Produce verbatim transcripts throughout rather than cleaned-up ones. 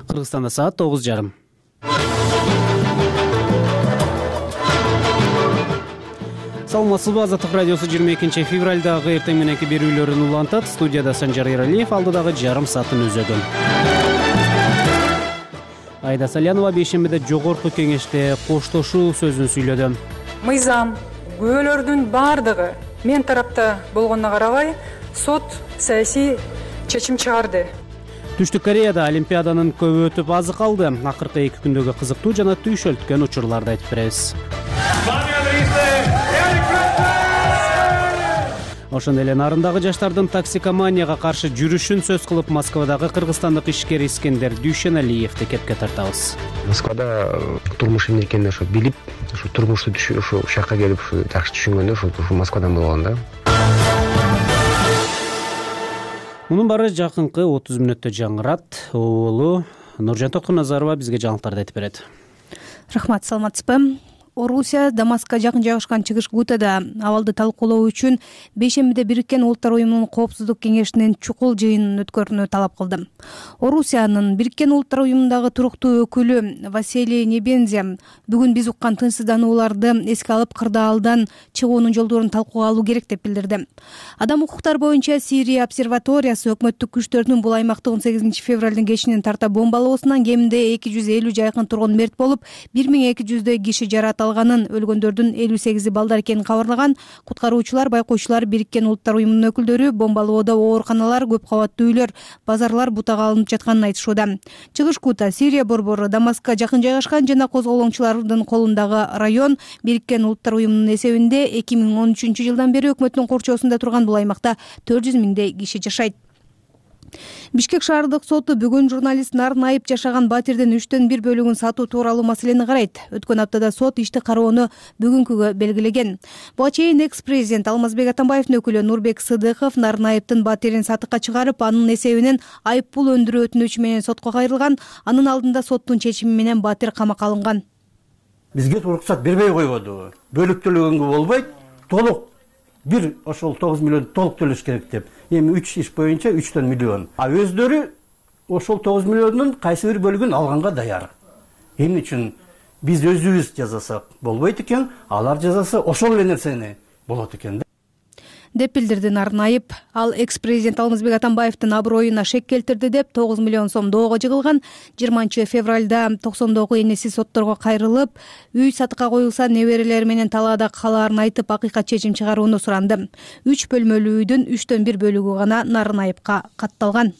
Кыргызстанда саат тогуз жарым. Саламатсызбы, Азаттык радиосу жыйырма экинчи февралдагы эртең мененки берүүлөрүн улантат. Студияда Санжар Эралиев, алдыдагы жарым саатын өзөгөн. Айда Салянова бейшембиде жогорку кеңеште коштошуу сөзүн сүйлөдү. Мыйзам, күбөлөрдүн баардыгы мен тарапта болгонуна карабай, сот саясий чечим чыгарды. Түштүк Кореяда Олимпиаданын көбү өтүп азы калды. Акыркы эки күндөгү кызыктуу жана түйшөлткөн учурларды айтып беребиз. Ошондой эле нарындагы жаштардын токсикоманияга каршы жүрүшүн сөз кылып Москвадагы кыргызстандык ишкер Искендер Дүйшеналиевди кепке тартабыз. Москвада турмуш эмне экенин ошо билип, ошо турмушту ошо жакка келип жакшы түшүнгөндө ошо Москвадан болгон да. Мунун баары жакынкы отуз мүнөттө жаңырат. Оолу Нуржан Тоткуназарова бизге жаңылыктарды айтып берет. Рахмат, саламатсызбы? Орусия Дамаскка жакын жайгашкан чыгыш Гутада абалды талкуулоо үчүн бейшембиде Бириккен Улуттар Уюмунун Коопсуздук кеңешинин чукул жыйынын өткөрүүнү талап кылды. Орусиянын Бириккен Улуттар Уюмундагы туруктуу өкүлү Василий Небензе бүгүн биз уккан тынчсызданууларды эске алып, кырдаалдан чыгуунун жолдорун талкууга алуу керек деп билдирди. Адам укуктары боюнча Сирия обсерваториясы өкмөттүк күчтөрдүн бул аймакта он сегизинчи февралдын кечинен тарта бомбалоосунан кеминде эки жүз элүүгө жакын тургун мерт болуп, бир миң эки жүздөй киши жаракат алганын, өлгөндөрдүн элүү сегизи балдар экенин кабарлаган. Куткаруучулар, байкоочулар, Бириккен Улуттар Уюмунун өкүлдөрү бомбалоодо ооруканалар, көп кабаттуу үйлөр, базарлар бутага алынып жатканын айтышууда. Чыгыш Гута Сирия борбору Дамаскка жакын жайгашкан жана козголоңчулардын колундагы район. Бириккен Улуттар Уюмунун эсебинде эки миң он үчүнчү жылдан бери өкмөттүн корчоосунда турган бул аймакта төрт жүз миңдей киши жашайт. Бишкек шаардык соту бүгүн журналист Нарнайып жашаган батирдин үчтөн бир бөлүгүн сатуу тууралуу маселени карайт. Өткөн аптада сот ишти кароону бүгүнкүгө белгилеген. Буга чейин экс-президент Алмазбек Атамбаевдин өкүлү Нурбек Сыдыков Нарнайыптын батирин сатыкка чыгарып, анын эсебинен айып пул өндүрүү өтүнүчү менен сотко кайрылган. Анын алдында соттун чечими менен батир камакка алынган. Бизге уруксат бербей койбоду. Бөлүк төлөгөнгө болбойт, толук бир ошол тогуз миллион толук төлөш керек деп. Эми үч иш боюнча үчтөн миллион. А өздөрү ошол тогуз миллиондун кайсы бир бөлүгүн алганга даяр. Эмне үчүн биз өзүбүз жазасак болбойт экен, алар жазасы ошол эле нерсени болот экен да. Деп билдирди Нарнайып. Ал экс-президент Алмазбек Атамбаевдин аброюна шек келтирди деп тогуз миллион сом доого жыгылган. жыйырманчы февралда токсондогу энеси сотторго кайрылып, үй сатыкка коюлса неберелери менен талаада калаарын айтып, акыйкат чечим чыгарууну суранды. үч бөлмөлүү үйдүн үчтөн бир бөлүгү гана Нарнайыпка катталган.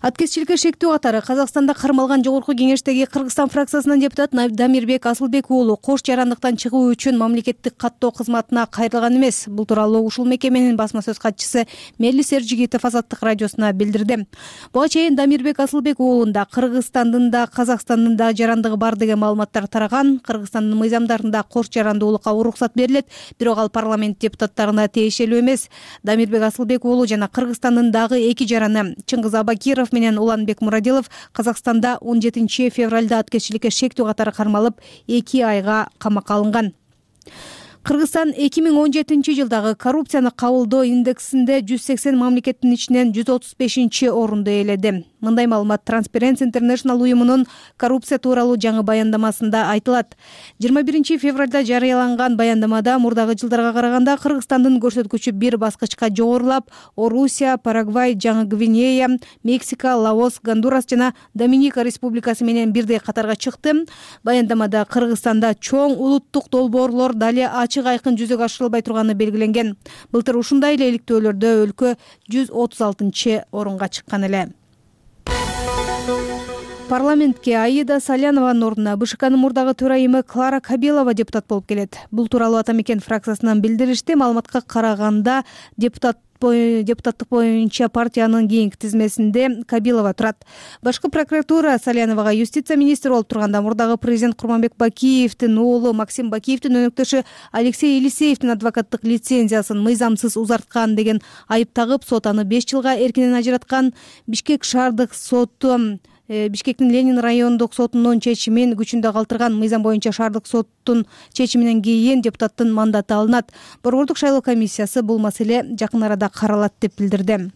Аткезчиликке шектүү катары Казакстанда кармалган жогорку кеңештеги Кыргызстан фракциясынын депутаты Дамирбек Асылбек уулу кош жарандыктан чыгуу үчүн мамлекеттик каттоо кызматына кайрылган эмес. Бул тууралуу ушул мекеменин басма сөз катчысы Мелис Эржигитов Азаттык радиосуна билдирди. Буга чейин Дамирбек Асылбек уулунда Кыргызстандын да Казакстандын да жарандыгы бар деген маалыматтар тараган. Кыргызстандын мыйзамдарында кош жарандуулукка уруксат берилет, бирок ал парламент депутаттарына тиешелүү эмес. Дамирбек Асылбек уулу жана Кыргызстандын дагы эки жараны Чыңгыз Абакиров менен Уланбек Мурадилов Казакстанда он жетинчи февралда аткезчиликке шектүү катары кармалып, эки айга камакка алынган. Кыргызстан эки миң он жетинчи жылдагы коррупцияны кабылдоо индексинде жүз сексен мамлекеттин ичинен жүз отуз бешинчи орунду ээледи. Мындай маалымат Transparency International уюмунун коррупция тууралуу жаңы баяндамасында айтылат. жыйырма биринчи февралда жарыяланган баяндамада мурдагы жылдарга караганда Кыргызстандын көрсөткүчү бир баскычка жогорулап, Орусия, Парагвай, Жаңы Гвинея, Мексика, Лаос, Гондурас жана Доминика республикасы менен бирдей катарга чыкты. Баяндамада Кыргызстанда чоң улуттук долбоорлор дали ачык айкын жүзөгө ашырылбай турганы белгиленген. Былтыр ушундай эле иликтөөлөрдө өлкө жүз отуз алтынчы орунга чыккан эле. Парламентке Аида Салянованын ордуна БШКнын мурдагы төрайымы Клара Кабелова депутат болуп келет. Бул тууралуу Ата мекен фракциясынан билдиришти. Маалыматка караганда депутат депутаттык боюнча партиянын кийинки тизмесинде Кабилова турат. Башкы прокуратура Саляновага юстиция министри болуп турганда мурдагы президент Курманбек Бакиевдин уулу Максим Бакиевдин өнөктөшү Алексей Елисеевдин адвокаттык лицензиясын мыйзамсыз узарткан деген айып тагып, сот аны беш жылга эркинен ажыраткан. Бишкек шаардык соту Бишкектин Ленин райондук сотунун чечимин күчүндө калтырган. Мыйзам боюнча шаардык соттун чечиминен кийин депутаттын мандаты алынат. Борбордук шайлоо комиссиясы бул маселе жакын арада каралат деп билдирди.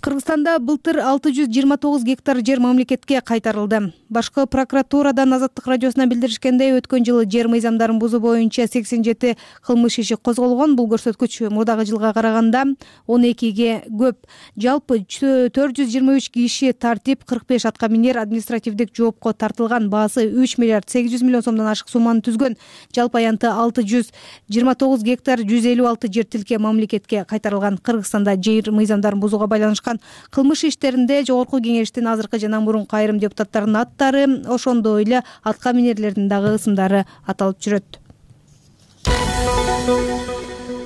Кыргызстанда былтыр алты жүз жыйырма тогуз гектар жер мамлекетке кайтарылды. Башкы прокуратурадан Азаттык радиосуна билдиришкендей, өткөн жылы жер мыйзамдарын бузуу боюнча сексен жети кылмыш иши козголгон. Бул көрсөткүч мурдагы жылга караганда он экиге көп. Жалпы төрт жүз жыйырма үч киши тартип, кырк беш атка минер административдик жоопко тартылган. Баасы үч миллиард сегиз жүз миллион сомдон ашык сумманы түзгөн. Жалпы аянты алты жүз жыйырма тогуз гектар жүз элүү алты жер тилке мамлекетке кайтарылган. Кыргызстанда жер мыйзамдарын бузууга байланышкан кылмыш иштеринде Жогорку Кеңештин азыркы жана мурунку айрым депутаттарынын аттары, ошондой эле атка минерлердин дагы ысымдары аталып жүрөт.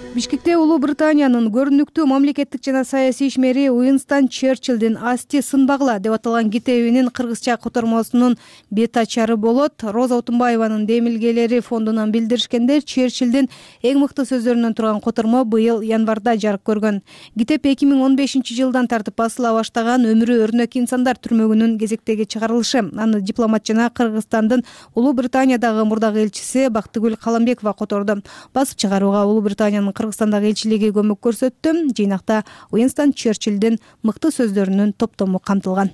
Бишкекте Улуу Британиянын көрүнүктүү мамлекеттик жана саясий ишмери Уинстон Черчиллдин «Асти сынбагыла» деп аталган китебинин кыргызча котормосунун бет ачары болот. Роза Отунбаеванын демилгелери фондунан билдиришкенде, Черчиллдин эң мыкты сөздөрүнөн турган котормо быйыл январда жарык көргөн. Китеп эки миң он бешинчи жылдан тартып басыла баштаган «Өмүрү өрнөк инсандар» түрмөгүнүн кезектеги чыгарылышы. Аны дипломат жана Кыргызстандын Улуу Британиядагы мурдагы элчиси Бактыгүл Каламбекова которду. Басып чыгарууга Улуу Британиянын Кыргызстандагы элчилиги көмөк көрсөттү. Жыйнакта Уинстон Черчиллдин мыкты сөздөрүнүн топтому камтылган.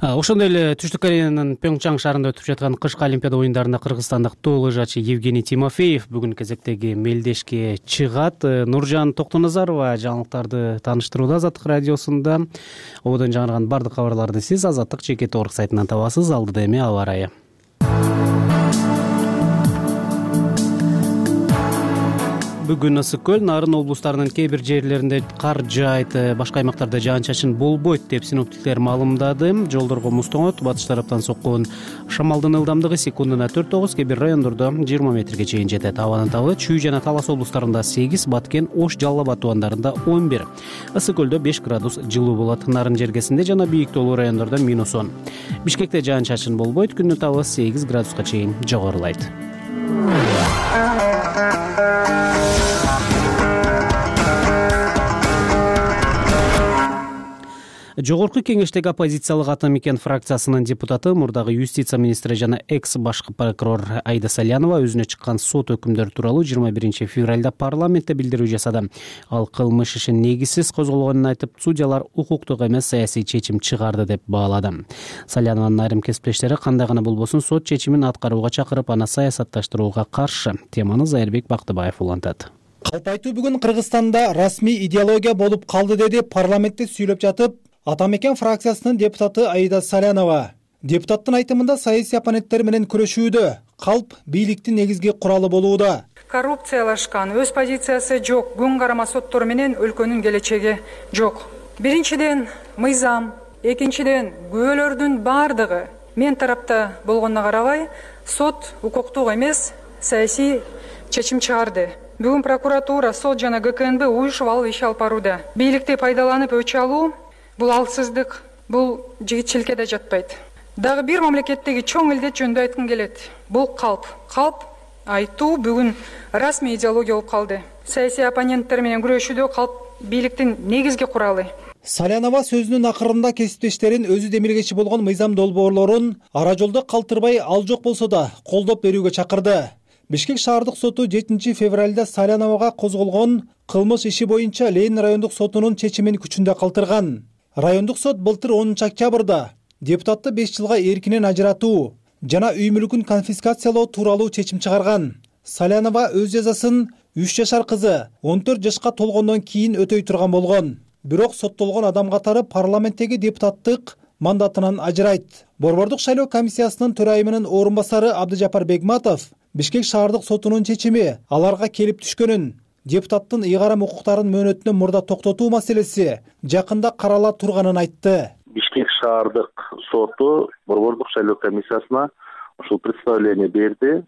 Ошондой эле Түштүк Кореянын Пьонгчан шаарында өтүп жаткан кышкы Олимпиада оюндарында кыргызстандык тоо лыжачы Евгений Тимофеев бүгүн кезектеги мелдешке чыгат. Нуржан Токтоназарова жаңылыктарды тааныштырууда Азаттык радиосунда. Ободон жаңырган бардык кабарларды сиз Азаттык жеке торк сайтынан табасыз. Алдыда эми аба ырайы. Бүгүн ысык көл, Нарын облустарынын кээ бир жерлеринде кар жаайт, башка аймактарда жаан-чачын болбойт деп синоптиктер маалымдады. Жолдорго муз тоңот, батыш тараптан соккон шамалдын ылдамдыгы секундуна төрт тогуз, кээ бир райондордо жыйырма метрге чейин жетет. Абанын табы Чүй жана Талас облустарында сегиз, Баткен, Ош, Жалал Абад тубандарында он бир. Ысык көлдө беш градус жылуу болот. Нарын жергесинде жана бийик тоолуу райондордо минус он. Бишкекте жаан-чачын болбойт, күндүн табы сегиз градуска чейин жогорулайт. Жогорку Кеңештеги оппозициялык Ата Мекен фракциясынын депутаты, мурдагы юстиция министри жана экс башкы прокурор Айда Салянова өзүнө чыккан сот өкүмдөрү тууралуу жыйырма биринчи февралда парламентте билдирүү жасады. Ал кылмыш иши негизсиз козголгонун айтып, судьялар укуктук эмес саясий чечим чыгарды деп баалады. Салянованын айрым кесиптештери кандай гана болбосун сот чечимин аткарууга чакырып, аны саясатташтырууга каршы. Теманы Зайырбек Бактыбаев улантат. Калп айтуу бүгүн Кыргызстанда расмий идеология болуп калды, деди парламентте сүйлөп жатып Ата Мекен фракциясынын депутаты Айда Салянова. Депутаттын айтымында саясий оппоненттер менен күрөшүүдө калп бийликтин негизги куралы болууда. Коррупциялашкан, өз позициясы жок, күн карама соттору менен өлкөнүн келечеги жок. Биринчиден мыйзам, экинчиден күбөлөрдүн бардыгы мен тарапта болгонуна карабай, сот укуктук эмес саясий чечим чыгарды. Бүгүн прокуратура, сот жана ГКНБ уюшуп алып иш алып барууда. Бийликти пайдаланып өч алуу бул алсыздык, бул жигитчиликке да жатпайт. Дагы бир мамлекеттеги чоң илдет жөнүндө айткым келет. Бул калп. Калп айтуу бүгүн расмий идеология болуп калды. Саясий оппоненттер менен күрөшүүдө калп бийликтин негизги куралы. Салянова сөзүнүн акырында кесиптештерин өзү демилгечи болгон мыйзам долбоорлорун ара жолдо калтырбай, ал жок болсо да колдоп берүүгө чакырды. Бишкек шаардык соту жетинчи февралда Саляновага козголгон кылмыш иши боюнча Ленин райондук сотунун чечимин күчүндө калтырган. Райондук сот былтыр онунчу октябрда депутатты беш жылга эркинен ажыратуу жана үй мүлкүн конфискациялоо тууралуу чечим чыгарган. Салянова өз жазасын үч жашар кызы он төрт жашка толгондон кийин өтөй турган болгон. Бирок соттолгон адам катары парламенттеги депутаттык мандатынан ажырайт. Борбордук шайлоо комиссиясынын төрайымынын орун басары Абдыжапар Бегматов Бишкек шаардык сотунун чечими аларга келип түшкөнүн, депутаттын ыйгарым укуктарын мөөнөтүнөн мурда токтотуу маселеси жакында карала турганын айтты. Бишкек шаардык соту борбордук шайлоо комиссиясына ушул представление берди,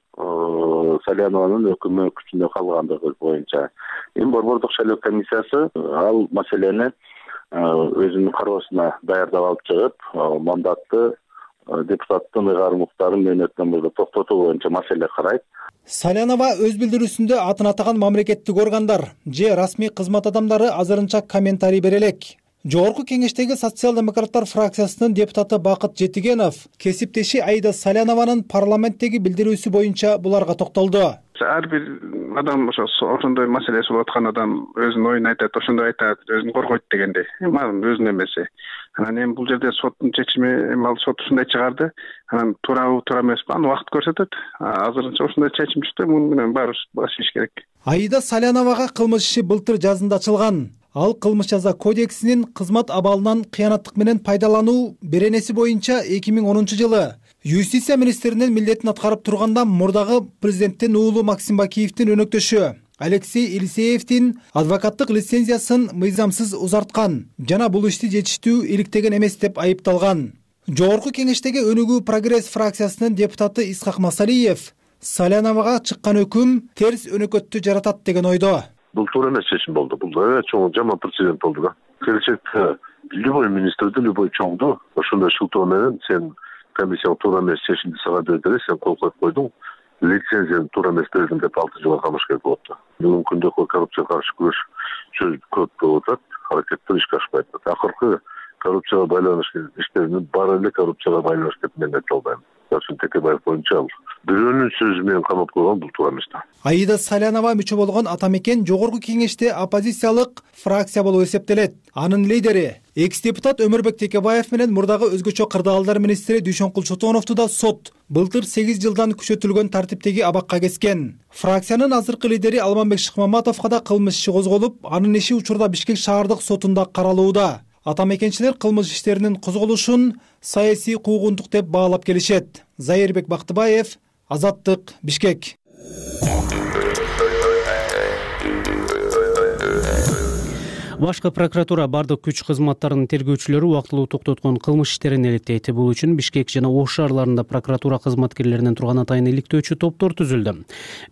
Салянованын өкүмү күчүндө калгандыгы боюнча. Эми борбордук шайлоо комиссиясы ал маселени өзүнүн кароосуна даярдап алып чыгып, мандатты депутаттын ыйгарым укуктарын мөөнөтүнөн мурда токтотуу боюнча маселе карайт. Салянова өз билдирүүсүндө атын атаган мамлекеттик органдар же расмий кызмат адамдары азырынча комментарий бере элек. Жогорку Кеңештеги социал-демократтар фракциясынын депутаты Бакыт Жетигенов кесиптеши Айда Салянованын парламенттеги билдирүүсү боюнча буларга токтолду. ар бир адам ошо ошондой маселеси болуп аткан адам өзүнүн оюн айтат, ошондой айтат, өзүн коргойт дегендей. Эми ал өзүнүн эмеси. Анан эми бул жерде соттун чечими, эми ал сот ушундай чыгарды. Анан туурабы, туура эмеспи, аны убакыт көрсөтөт. Азырынча ушундай чечим чыкты, муну менен баарыбыз баш ийиш керек. Аида Саляновага кылмыш иши былтыр жазында ачылган. Ал кылмыш жаза кодексинин кызмат абалынан кыянаттык менен пайдалануу беренеси боюнча эки миң онунчу жылы юстиция министринин милдетин аткарып турганда мурдагы президенттин уулу Максим Бакиевдин өнөктөшү Алексей Елисеевдин адвокаттык лицензиясын мыйзамсыз узарткан жана бул ишти жетиштүү иликтеген эмес деп айыпталган. Жогорку кеңештеги Өнүгүү прогресс фракциясынын депутаты Исхак Масалиев Саляновага чыккан өкүм терс өнөкөттү жаратат деген ойдо. Бул туура эмес чечим болду. Бул да чоң жаман прецедент болду да. Келечекте любой министрди, любой чоңду ошондой шылтоо менен сен комиссия туура эмес чечимди сага берди, сен кол коюп койдуң, лицензияны туура эмес бердим деп алты жылга камаш керек болот да. Бүгүнкү күндө коррупцияга каршы күрөш чөз көп болуп атат, аракеттер ишке ашпай атат. Акыркы коррупцияга байланыштуу иштердин баары эле коррупцияга байланыштуу деп мен айта албайм. Сарсын Текебаев боюнча ал бирөөнүн сөзү менен камап койгон, бул туура эмес да. Аида Салянова мүчө болгон Атамекен жогорку кеңеште оппозициялык фракция болуп эсептелет. Анын лидери экс-депутат Өмүрбек Текебаев менен мурдагы өзгөчө кырдаалдар министри Дүйшөнкул Чотоновду да сот былтыр сегиз жылдан күчөтүлгөн тартиптеги абакка кескен. Фракциянын азыркы лидери Алмамбек Шыкмаматовго да кылмыш иши козголуп, анын иши учурда Бишкек шаардык сотунда каралууда. Атамекенчилер кылмыш иштеринин козголушун саясий куугунтук деп баалап келишет. Зайырбек Бактыбаев, Азаттык, Бишкек. Башкы прокуратура бардык күч кызматтарынын тергөөчүлөрү убактылуу токтоткон кылмыш иштерин иликтейт. Бул үчүн Бишкек жана Ош шаарларында прокуратура кызматкерлеринен турган атайын иликтөөчү топтор түзүлдү.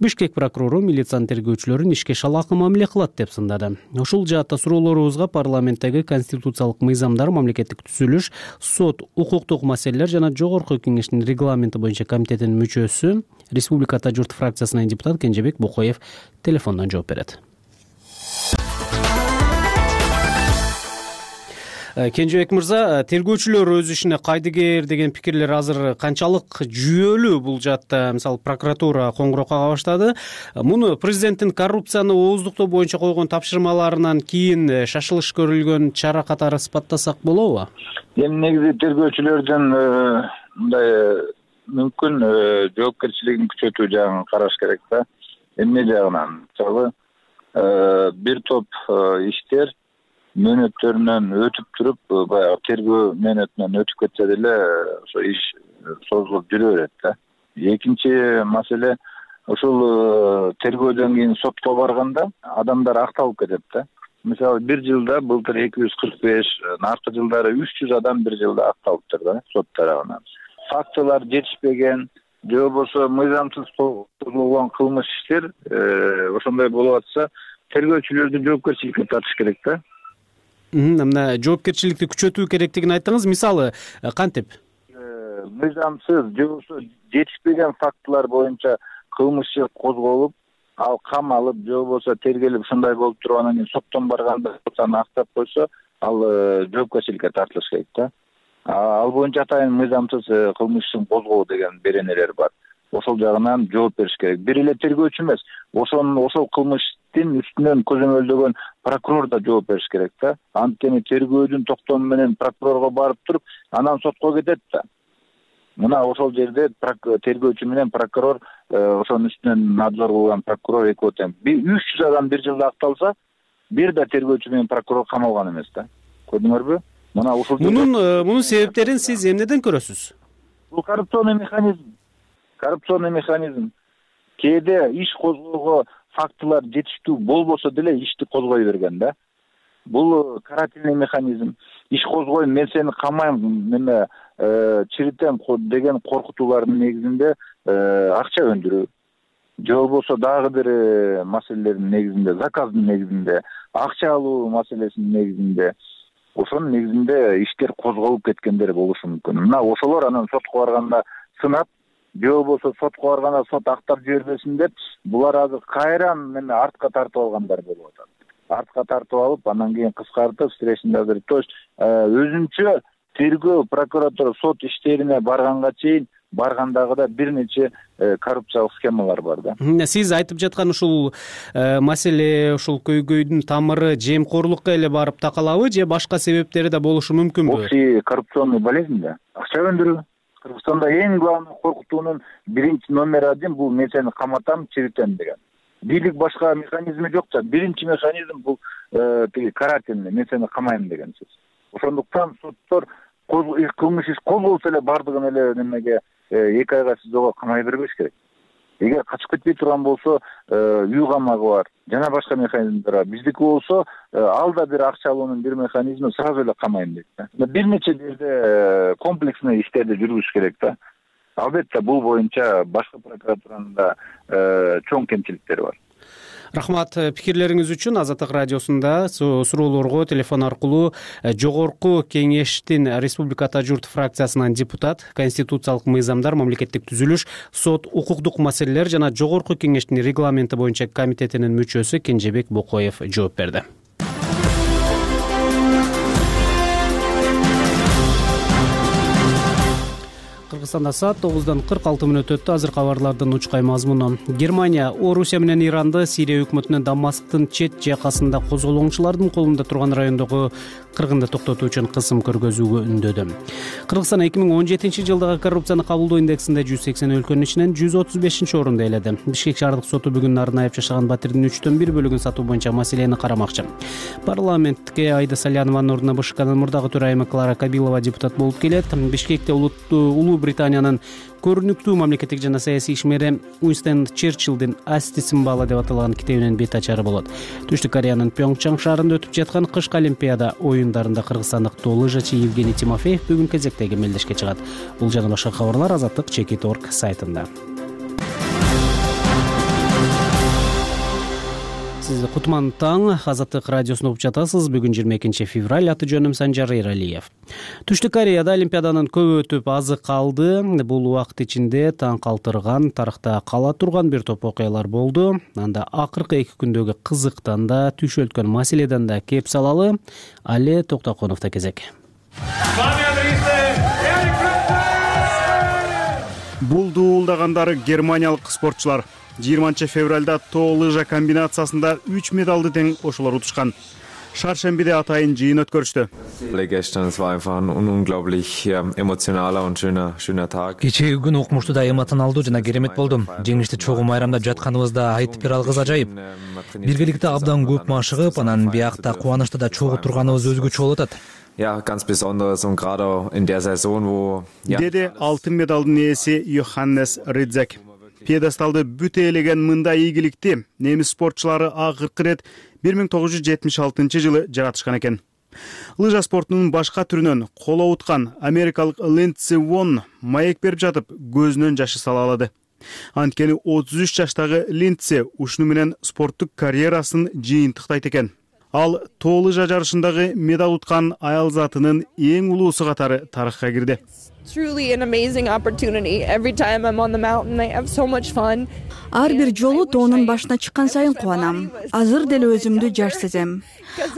Бишкек прокурору милициянын тергөөчүлөрүн ишке шалаакы мамиле кылат деп сындады. Ушул жаатта суроолорубузга парламенттеги конституциялык мыйзамдар, мамлекеттик түзүлүш, сот, укуктук маселелер жана жогорку кеңештин регламенти боюнча комитетинин мүчөсү, Республиката журт фракциясынын депутат Кенжебек Бокоев телефондон жооп берет. Кенжебек мырза, тергөөчүлөр өз ишине кайдыгер деген пикирлер азыр канчалык жүйөлүү бул жаатта? Мисалы, прокуратура коңгуроо кага баштады. Муну президенттин коррупцияны ооздуктоо боюнча койгон тапшырмаларынан кийин шашылыш көрүлгөн чара катары сыпаттасак болобу? Эми негизи тергөөчүлөрдүн мындай мүмкүн жоопкерчилигин күчөтүү жагын караш керек да. Эмне жагынан? Мисалы, бир топ иштер мөөнөттөрүнөн өтүп туруп, баягы тергөө мөөнөтүнөн өтүп кетсе деле ошо иш созулуп жүрө берет да. Экинчи маселе, ушул тергөөдөн кийин сотко барганда адамдар акталып кетет да. Мисалы, бир жылда былтыр эки жүз кырк беш, наркы жылдары үч жүз адам бир жылда акталыптыр да сот тарабынан. Фактылар жетишпеген, же болбосо мыйзамсыз козголгон кылмыш иштер ошондой болуп атса, тергөөчүлөрдү жоопкерчиликке тартыш керек да. Мына жоопкерчиликти күчөтүү керектигин айттыңыз. Мисалы, кантип? Мыйзамсыз же болбосо жетишпеген фактылар боюнча кылмыш иши козголуп, ал камалып, же болбосо тергелип ушундай болуп туруп анан кийин соттон барганда аны актап койсо, ал жоопкерчиликке тартылыш керек да. Ал боюнча атайын мыйзамсыз кылмыш ишин козгоо деген беренелер бар. Ошол жагынан жооп бериш керек. Бир эле тергөөчү эмес, ошонун ошол кылмыштын үстүнөн көзөмөлдөгөн прокурор да жооп бериш керек да. Анткени тергөөдүн токтому менен прокурорго барып туруп, анан сотко кетет да. Мына ошол жерде тергөөчү менен прокурор, ошонун үстүнөн надзор кылган прокурор экөө тең. үч жүз адам бир жылда акталса, бир да тергөөчү менен прокурор камалган эмес да. Көрдүңөрбү? Мына ушул Мунун мунун себептерин сиз эмнеден көрөсүз? Бул коррупционный механизм. Коррупционный механизм. Кээде иш козгоого фактылар жетиштүү болбосо деле ишти козгой берген да. Бул карательный механизм. Иш козгойм, мен сени камайм, неме чиритем деген коркутуулардын негизинде акча өндүрүү. Же болбосо дагы бир маселелердин негизинде, заказдын негизинде, акча алуу маселесинин негизинде, ошонун негизинде иштер козголуп кеткендер болушу мүмкүн. Мына ошолор анан сотко барганда сынап, же болбосо сотко барганда сот актап жибербесин деп, булар азыр кайран неме артка тартып алгандар болуп атат. Артка тартып алып, анан кийин кыскартып, стрессинде азыр, то есть өзүнчө тергөө прокуратура сот иштерине барганга чейин баргандагы да бир нече коррупциялык схемалар бар да. Сиз айтып жаткан ушул маселе, ушул көйгөйдүн тамыры жемкорлукка эле барып такалабы же башка себептери да болушу мүмкүнбү? Бул коррупционный болезнь да. Акча өндүрүү. Кыргызстанда эң главный коркутуунун биринчи номер один бул мен сени каматам, чиритем деген. Бийлик башка механизми жок да. Биринчи механизм бул тиги карательный, мен сени камайм деген сөз. Ошондуктан соттор кылмыш иш козголсо эле бардыгын эле немеге эки айга сизого камай бербеш керек. Эгер качып кетпей турган болсо үй камагы бар, жана башка механизмдер бар. Биздики болсо ал да бир акча алуунун бир механизми, сразу эле камайм дейт да. Бир нече жерде комплексный иштерди жүргүзүш керек да. Албетте бул боюнча башкы прокуратуранын да чоң кемчиликтери бар. Рахмат пикирлериңиз үчүн. Азаттык радиосунда суроолорго телефон аркылуу Жогорку Кеңештин Республиката журт фракциясынан депутат, конституциялык мыйзамдар, мамлекеттик түзүлүш, сот, укуктук маселелер жана Жогорку Кеңештин регламенти боюнча комитетинин мүчөсү Кенжебек Бокоев жооп берди. Кыргызстанда саат тогуздан кырк алты мүнөт өттү. Азыр кабарлардын учкай мазмуну. Германия Орусия менен Иранды Сирия өкмөтүнүн Дамасктын чет жакасында козголоңчулардын колунда турган райондогу кыргынды токтотуу үчүн кысым көргөзүүгө үндөдү. Кыргызстан эки миң он жетинчи жылдагы коррупцияны кабылдоо индексинде жүз сексен өлкөнүн ичинен жүз отуз бешинчи орунду ээледи. Бишкек шаардык соту бүгүн Нарынайып жашаган батирдин үчтөн бир бөлүгүн сатуу боюнча маселени карамакчы. Парламентке Айда Салянованын ордуна БШКнын мурдагы төрайымы Клара Кабилова депутат болуп келет. Бишкекте улуу Британиянын көрүнүктүү мамлекеттик жана саясий ишмери Уинстон Черчиллдин асти символу деп аталган китебинин бет ачары болот. Түштүк Кореянын Пьонгчан шаарында өтүп жаткан кышкы олимпиада оюндарында кыргызстандык тоо лыжачы Евгений Тимофеев бүгүн кезектеги мелдешке чыгат. Бул жана башка кабарлар Азаттык Чекит точка орг сайтында. Сиз Кутман таң Азаттык радиосун угуп жатасыз. Бүгүн жыйырма экинчи февраль, аты жөнүм Санжар Эралиев. Түштүк Кореяда олимпиаданын көбү өтүп азы калды. Бул убакыт ичинде таң калтырган, тарыхта кала турган бир топ окуялар болду. Анда акыркы эки күндөгү кызыктан да, түшөлткөн маселеден да кеп салалы. Али Токтоконовдо кезек. Бул дуулдагандары германиялык спортчулар. жыйырманчы февралда тоо лыжа комбинациясында үч медалды тең ошолор утушкан. Шаршембиде атайын жыйын өткөрүштү. Кечээги күн укмуштуу да эмоционалдуу жана керемет болду. Жеңишти чогуу майрамдап жатканыбызда айтып бере алгыс ажайып. Биргеликте абдан көп машыгып, анан биякта кубанычта да чогуу турганыбыз өзгөчө болуп атат. Ja, ganz besonderes und gerade in der Saison, wo Деде алтын медалдын ээси Йоханнес Ридзек. Пьедесталды бүт ээлеген мындай ийгиликти немис спортчулары акыркы ирет бир миң тогуз жүз жетимиш алтынчы жылы жаратышкан экен. Лыжа спортунун башка түрүнөн коло уткан америкалык Линдси Вонн маек берип жатып көзүнөн жашы сала алады. Анткени отуз үч жаштагы Линдси ушуну менен спорттук карьерасын жыйынтыктайт экен. Ал тоо лыжа жарышындагы медаль уткан аял затынын эң улуусу катары тарыхка кирди. Ар бир жолу тоонун башына чыккан сайын кубанам. Азыр деле өзүмдү жаш сезем.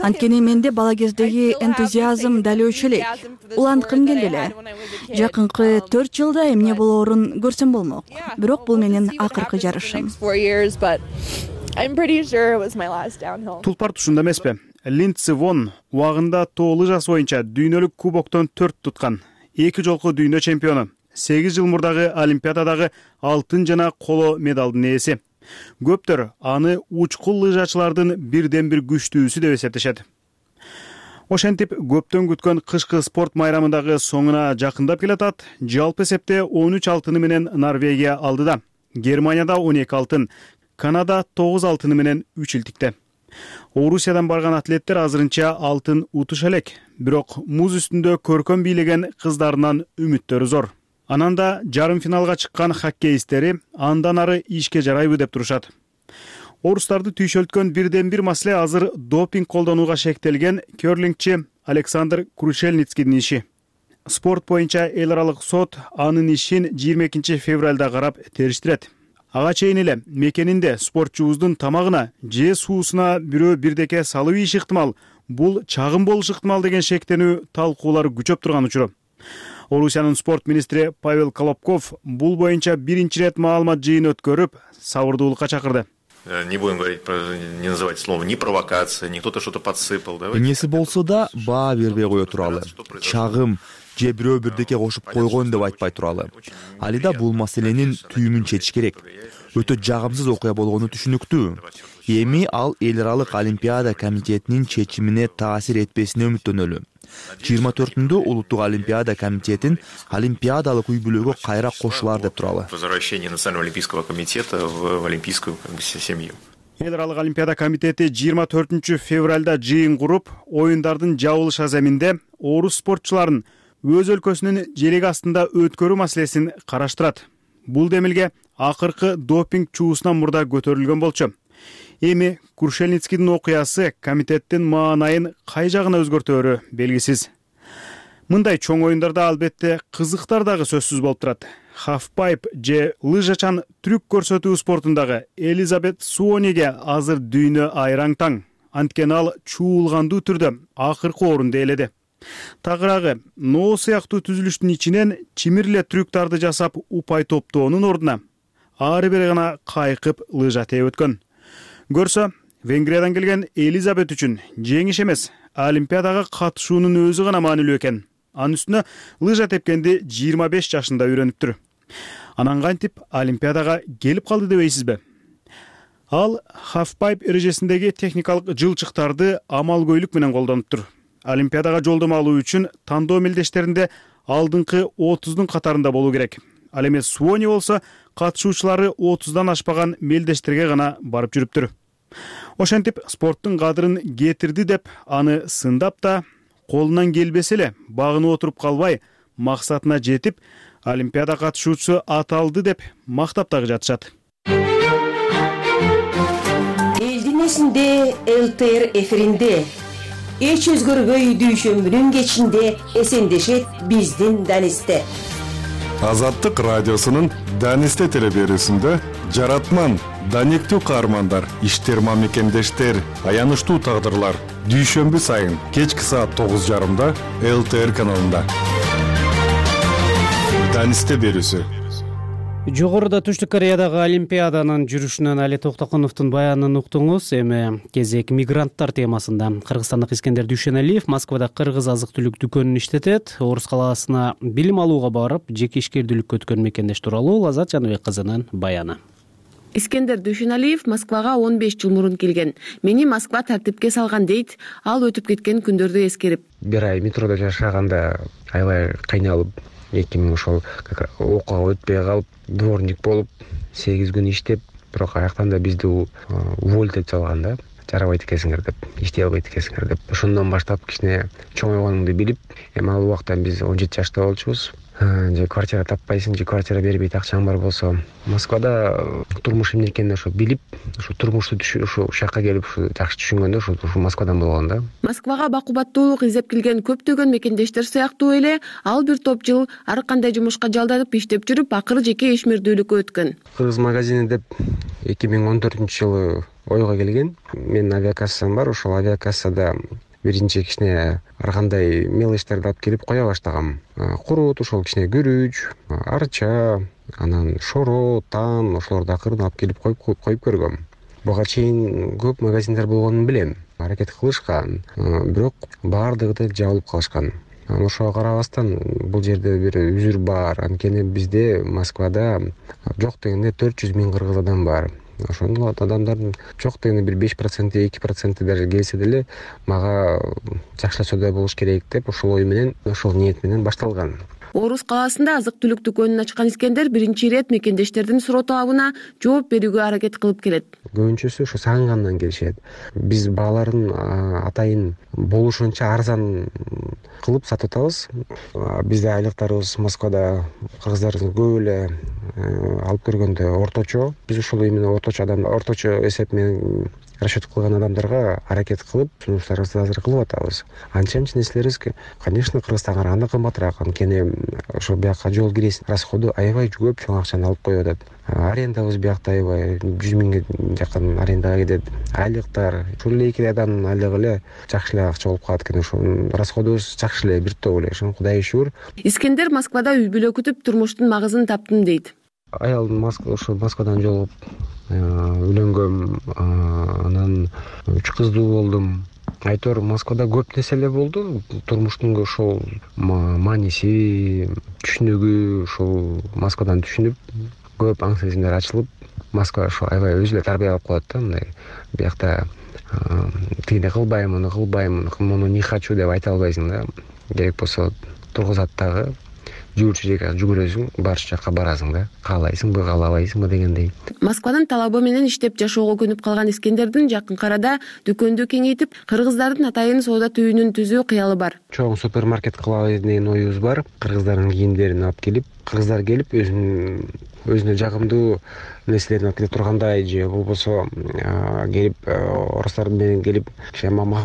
Анткени менде бала кездеги энтузиазм дал ошол элек. Уланткым келди эле. Жакынкы төрт жылда эмне болоорун көрсөм болмок. Бирок бул менин акыркы жарышым. Тулпар тушунда эмеспи? Линдси Вонн убагында тоо лыжасы боюнча дүйнөлүк кубоктон төрт туткан. Эки жолку дүйнө чемпиону. сегиз жыл мурдагы олимпиададагы алтын жана коло медалдын ээси. Көптөр аны учкул лыжачылардын бирден бир күчтүүсү деп эсептешет. Ошентип көптөн күткөн кышкы спорт майрамындагы соңуна жакындап келатат. Жалпы эсепте он үч алтыны менен Норвегия алдыда. Германияда он эки алтын, Канада тогуз алтыны менен үч илтикте. Орусиядан барган атлеттер азырынча алтын утуша элек, бирок муз үстүндө көркөм бийлеген кыздарынан үмүттөрү зор. Анан да жарым финалга чыккан хоккеисттери андан ары ишке жарайбы деп турушат. Орустарды түйшөлткөн бирден бир маселе азыр допинг колдонууга шектелген керлингчи Александр Крушельницкийдин иши. Спорт боюнча эл аралык сот анын ишин жыйырма экинчи февралда карап териштирет. Ага чейин эле мекенинде спортчубуздун тамагына же суусуна бирөө бирдеке салып ийиши ыктымал, бул чагым болушу ыктымал деген шектенүү талкуулар күчөп турган учуру. Орусиянын спорт министри Павел Колобков бул боюнча биринчи ирет маалымат жыйын өткөрүп, сабырдуулукка чакырды. Не будем говорить про, не называть слово ни провокация, ни кто-то что-то подсыпал. Эмнеси болсо да баа бербей кое туралы. Чагым же бирөө бирдеке кошуп койгон деп айтпай туралы. Алида бул маселенин түйүнүн чечиш керек. Өтө жагымсыз окуя болгону түшүнүктүү. Эми ал эл аралык Олимпиада комитетинин чечимине таасир этпесине үмүттөнөлү. жыйырма төртүндө улуттук Олимпиада комитетин олимпиадалык үй бүлөгө кайра кошулар деп туралы. Возвращение Национального олимпийского комитета в олимпийскую семью. Эл аралык Олимпиада комитети жыйырма төртүнчү февралда жыйын куруп, оюндардын жабылыш аземинде орус спортчуларын өз өлкөсүнүн желеги астында өткөрүү маселесин караштырат. Бул демилге акыркы допинг чуусунан мурда көтөрүлгөн болчу. Эми Крушельницкийдин окуясы комитеттин маанайын кай жагына өзгөртөөрү белгисиз. Мындай чоң оюндарда албетте кызыктар дагы сөзсүз болуп турат. Halfpipe же лыжачан трюк көрсөтүү спортундагы Элизабет Суониге азыр дүйнө айраң таң. Анткени ал чуулгандуу түрдө акыркы орунду ээледи. Тагыраагы ноо сыяктуу түзүлүштүн ичинен чимирле трюктарды жасап упай топтоонун ордуна ары бери гана кайкып лыжа тээп өткөн. Көрсө, Венгриядан келген Элизабет үчүн жеңиш эмес, Олимпиадага катышуунун өзү гана маанилүү экен. Анын үстүнө лыжа тепкенди жыйырма беш жашында үйрөнүптүр. Анан кантип Олимпиадага келип калды дебейсизби? Ал Halfpipe эрежесиндеги техникалык жылчыктарды амалкөйлүк менен колдонуптур. Олимпиадага жолдомо алуу үчүн тандоо мелдештеринде алдыңкы отуздун катарында болуу керек. Ал эми Суони болсо катышуучулары отуздан ашпаган мелдештерге гана барып жүрүптүр. Ошентип спорттун кадырын кетирди деп аны сындап да, колунан келбесе эле багынып отуруп калбай, максатына жетип, Олимпиада катышуучусу аталды деп мактап дагы жатышат. Элдин эсинде эл тэ эр эфиринде эч өзгөрбөй дүйшөмбүнүн кечинде эсендешет биздин Данисте. Азаттык радиосунун Данисте телеберүүсүндө жаратман, даниктүү каармандар, иштер мамекендештер, аянычтуу тагдырлар дүйшөмбү сайын кечки саат тогуз жарымда эл тэ эр каналында. Данисте берүүсү. Жогоруда Түштүк Кореядагы Олимпиаданын жүрүшүнөн Али Токтокуновдун баянын уктуңуз. Эми кезек мигранттар темасында. Кыргызстандык Искендер Дүйшеналиев Москвада кыргыз азык-түлүк дүкөнүн иштетет. Орус калаасына билим алууга барып, жеке ишкердүүлүккө өткөн мекендеш тууралуу Азат Жаныбек кызынын баяны. Искендер Дүйшеналиев Москвага он беш жыл мурун келген. Мени Москва тартипке салган дейт, ал өтүп кеткен күндөрдү эскерип. Бир ай метрода жашаганда аябай кыйналып, эки миң ошол окууга өтпөй калып, дворник болуп, сегиз күн иштеп, бирок аяктан да бизди уволить этип салган да. Жарабайт экенсиңер деп, иштей албайт экенсиңер деп. Ошондон баштап кичине чоңойгонумду билип, эми ал убакта биз он жети жашта болчубуз. Же квартира таппайсың, же квартира бербейт, акчаң бар болсо. Москвада турмуш эмне экенин ошо билип, ошо турмушту ошо жакка келип жакшы түшүнгөндө ошо Москвадан болгон да. Москвага бакубаттуулук издеп келген көптөгөн мекендештер сыяктуу эле, ал бир топ жыл ар кандай жумушка жалданып иштеп жүрүп, акыры жеке ишмердүүлүккө өткөн. Кыргыз магазини деп эки миң он төртүнчү жылы ойго келген. Менин авиакассам бар, ошол авиакассада биринчи кичине ар кандай мелочторду алып келип кое баштагам. Курут, ошол кичине күрүч, арча, анан шоро, тан, ошолорду акырын алып келип коюп коюп көргөм. Буга чейин көп магазиндер болгонун билем, аракет кылышкан, бирок баардыгы да жабылып калышкан. Ошого карабастан бул жерде бир үзүр бар. Анткени бизде Москвада жок дегенде төрт жүз миң кыргыз адам бар. Ошондо адамдардын жок дегенде бир беш проценти, эки проценти даже келсе деле мага жакшылашуудай болуш керек деп ошол ой менен, ошол ниет менен башталган. Орус калаасында азык-түлүк дүкөнүн ачкан Искендер биринчи ирет мекендештердин суроо талабына жооп берүүгө аракет кылып келет. Көбүнчөсү ошо сагынгандан келишет. Биз бааларын атайын болушунча арзан кылып сатып атабыз. Бизде айлыктарыбыз Москвада кыргыздардын көп эле алып көргөндө орточо. Биз ошол именно орточо адам, орточо эсеп менен расчет кылган адамдарга аракет кылып сунуштарыбызды азыр кылып атабыз. Анча анча нерселерибиз, конечно, Кыргызстанга караганда кымбатыраак, анткени ошо бияка жол киресин расходу аябай көп чоң акчаны алып коюп атат. Арендабыз биякта аябай жүз миңге жакын арендага кетет. Айлыктар ушул эле эки адамдын айлыгы эле жакшы эле акча болуп калат экен. Ошо расходубуз жакшы эле, бир топ эле. Ошо Кудайга шүгүр. Искендер Москвада үй бүлө күтүп турмуштун магызын таптым дейт. Аялым Москва ошо Москвадан жолугуп үйлөнгөм, анан үч кыздуу болдум. Айтор Москвада көп нерсе эле болду. Турмуштун ошол мааниси, түшүнүгү ошол Москвадан түшүнүп, көп аң сезимдер ачылып, Москва ошо аябай өзү эле тарбия алып коет да, мындай биякта тигине кылбайм, муну кылбайм, муну не хочу деп айта албайсың да. Керек болсо тургузат дагы жүгүрчү жакка жүгүрөсүң, барчу жакка барасың да. Каалайсыңбы, каалабайсыңбы дегендей. Москванын талабы менен иштеп жашоого көнүп калган Искендердин жакын арада дүкөндү кеңейтип, кыргыздардын атайын соода түйүнүн түзүү кыялы бар. Чоң супермаркет кылабыз деген оюбуз бар. Кыргыздардын кийимдерин алып келип, кыргыздар келип өзүнүн өзүнө жагымдуу нерселерин алып келе тургандай, же болбосо келип орустар менен келип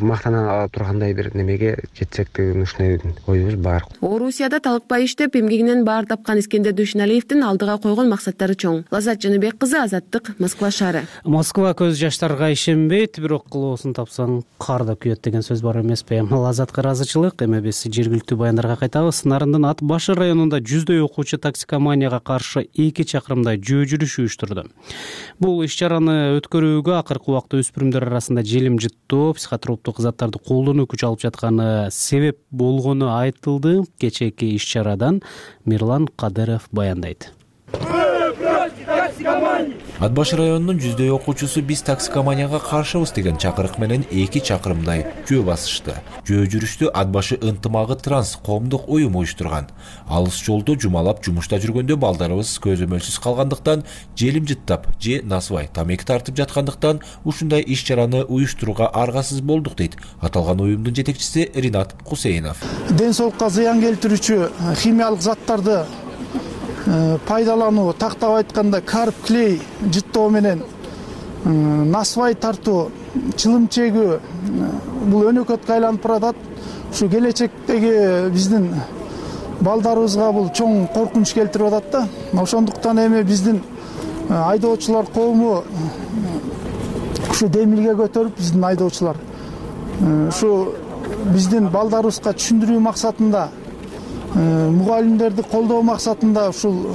мактана тургандай бир немеге жетсек деген ушундай оюбуз бар. Орусияда талыкпай иштеп, эмгегинен баар тапкан Искендер Дүйшөналиевдин алдыга койгон максаттары чоң. Лазат Жаныбек кызы, Азаттык, Москва шаары. Москва көз жаштарга ишенбейт, бирок кылоосун тапсаң кар да күйөт деген сөз бар эмеспи? Лазатка ыраазычылык. Эми биз жергиликтүү баяндарга кайтабыз. Нарындын Ат башы районунда жүздөй окуучу токсикоманияга каршы эки чакырымдай жөө жүрүш уюштурду. Бул иш-чараны өткөрүүгө акыркы убакта өспүрүмдөр арасында желим жыттоо, психотроптук заттарды колдонуу күч алып жатканы себеп болгону айтылды. Кечээки иш-чарадан Мирлан Кадыров баяндайт. Ат башы районунун жүздөй окуучусу биз токсикоманияга каршыбыз деген чакырык менен эки чакырымдай жөө басышты. Жөө жүрүштү Ат башы ынтымагы транс коомдук уюму уюштурган. Алыс жолду жумалап жумушта жүргөндө балдарыбыз көзөмөлсүз калгандыктан, желим жыттап же насыбай тамеки тартып жаткандыктан ушундай иш-чараны уюштурууга аргасыз болдук дейт аталган уюмдун жетекчиси Ринат Кусейнов. Ден соолукка зыян келтирүүчү химиялык заттарды пайдалануу, тактап айтканда карп, клей жыттоо менен насыбай тартуу, чылым чегүү бул өнөкөткө айланып баратат. Ушу келечектеги биздин балдарыбызга бул чоң коркунуч келтирип атат да. Ошондуктан эми биздин айдоочулар коому ушу демилге көтөрүп, биздин айдоочулар ушу биздин балдарыбызга түшүндүрүү максатында, мугалимдерди колдоо максатында ушул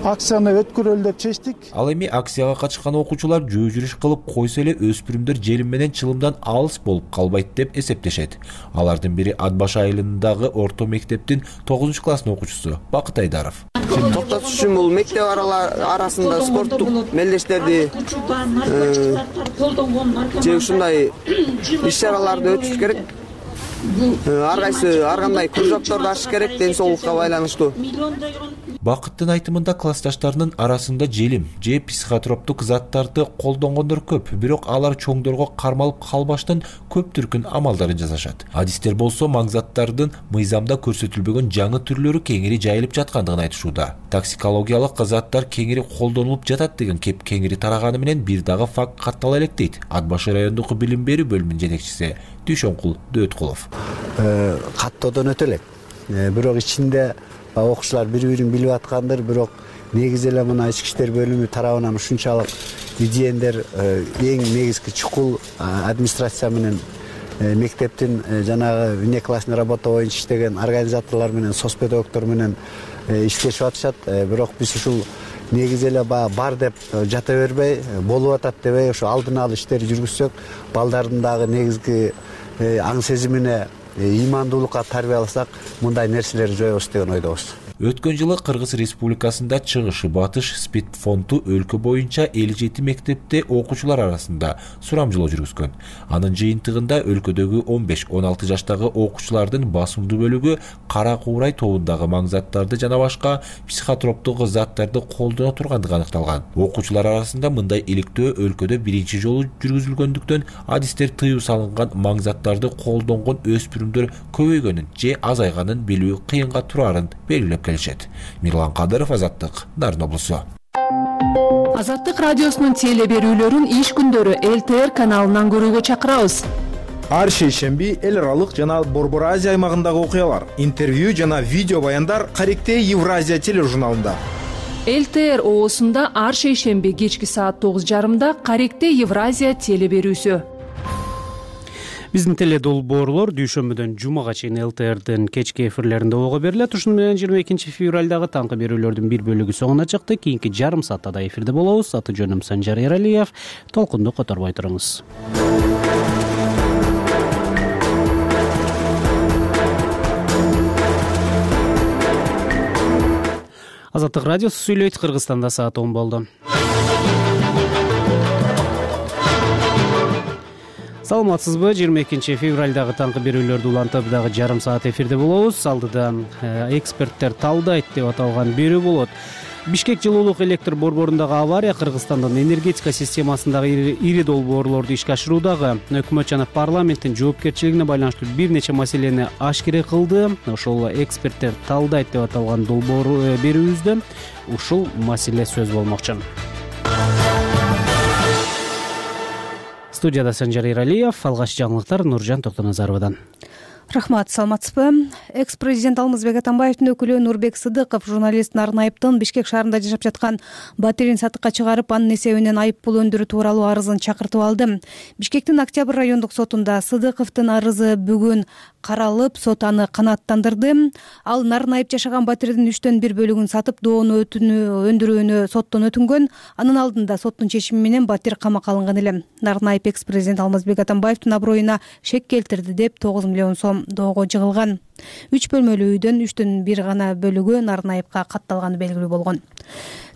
акцияны өткөрөлү деп чечтик. Ал эми акцияга катышкан окуучулар жөө жүрүш кылып койсо эле өспүрүмдөр желим менен чылымдан алыс болуп калбайт деп эсептешет. Алардын бири Ат башы айылындагы орто мектептин тогузунчу класстын окуучусу Бакыт Айдаров. Токтотуш үчүн бул мектеп арасында спорттук мелдештерди же ушундай иш-чараларды өткөзүш керек. Ар кайсы ар кандай кружокторду ачыш керек, ден соолукка байланыштуу. Бакыттын айтымында классташтарынын арасында желим же психотроптук заттарды колдонгондор көп, бирок алар чоңдорго кармалып калбаштан көп түркүн амалдарын жасашат. Адистер болсо маңзаттардын мыйзамда көрсөтүлбөгөн жаңы түрлөрү кеңири жайылып жаткандыгын айтышууда. Токсикологиялык заттар кеңири колдонулуп жатат деген кеп кеңири тараганы менен бир дагы факт каттала элек дейт Ат башы райондук билим берүү бөлүмүнүн жетекчиси Дүйшөнкул Дөөткулов. Каттоодон өтө элек. Бирок ичинде окуучулар бири-бирин билип аткандыр, бирок негизи эле мына ички иштер бөлүмү тарабынан ушунчалык идеендер эң негизги чукул администрация менен мектептин жанагы внеклассный работа боюнча иштеген организаторлор менен соцпедагогдор менен иштешип атышат. Бирок биз ушул негизи эле бар деп жата бербей, болуп атат дебей, ошо алдын алуу иштери жүргүзсөк, балдардын дагы негизги аң сезимине, ыймандуулукка тарбияласак, мындай нерселерди жоебуз деген ойдобуз. Өткөн жылы Кыргыз Республикасында чыгыш батыш спид фонду өлкө боюнча элүү жети мектепте окуучулар арасында сурамжылоо жүргүзгөн. Анын жыйынтыгында өлкөдөгү он беш он алты жаштагы окуучулардын басымдуу бөлүгү кара куурай тобундагы маңзаттарды жана башка психотроптук заттарды колдоно тургандыгы аныкталган. Окуучулар арасында мындай иликтөө өлкөдө биринчи жолу жүргүзүлгөндүктөн адистер тыюу салынган маңзаттарды колдонгон өспүрүмдөр көбөйгөнүн же азайганын билүү кыйынга турарын белгилеп келишет. Мирлан Кадыров, Азаттык, Нарын облусу. Азаттык радиосунун теле берүүлөрүн иш күндөрү эл тэ эр каналынан көрүүгө чакырабыз. Ар шейшемби эл аралык жана Борбор Азия аймагындагы окуялар, интервью жана видео баяндар Каректе Евразия тележурналында. эл тэ эр оосунда ар шейшемби кечки саат тогуз жарымда Каректе Евразия теле берүүсү. Биздин теле долбоорлор дүйшөмбүдөн жумага чейин эл тэ эрдин кечки эфирлеринде ого берилет. Ушуну менен жыйырма экинчи февралдагы таңкы берүүлөрдүн бир бөлүгү соңуна чыкты. Кийинки жарым саатта да эфирде болобуз. Аты жөнүм Санжар Эралиев. Толкунду которбой туруңуз. Азаттык радиосу сүйлөйт. Кыргызстанда саат он болду. Саламатсызбы? жыйырма экинчи февралдагы таңкы берүүлөрдү улантып дагы жарым саат эфирде болобуз. Алдыда эксперттер талдайт деп аталган берүү болот. Бишкек жылуулук электр борборундагы авария Кыргызстандын энергетика системасындагы ири долбоорлорду ишке ашыруудагы өкмөт жана парламенттин жоопкерчилигине байланыштуу бир нече маселени ашкере кылды. Ошол эксперттер талдайт деп аталган долбоор берүүбүздө ушул маселе сөз болмокчу. Студияда Санжар Эралиев, алгач жаңылыктар Нуржан Токтоназаровадан. Рахмат, саламатсызбы? Экс-президент Алмазбек Атамбаевдин өкүлү Нурбек Сыдыков журналист Нарын Айыптын Бишкек шаарында жашап жаткан батирин сатыкка чыгарып, анын эсебинен айып пул өндүрүү тууралуу арызын чакыртып алды. Бишкектин Октябрь райондук сотунда Сыдыковдун арызы бүгүн каралып, сот аны канааттандырды. Ал Нарын Айып жашаган батирдин үчтөн бир бөлүгүн сатып, доону өндүрүүнү соттон өтүнгөн. Анын алдында соттун чечими менен батир камакка алынган эле. Нарын Айып экс-президент Алмазбек Атамбаевдин аброюна шек келтирди деп тогуз миллион сом доого жыгылган. Үч бөлмөлүү үйдөн үчтөн бир гана бөлүгү Нарын Айыпка катталганы белгилүү болгон.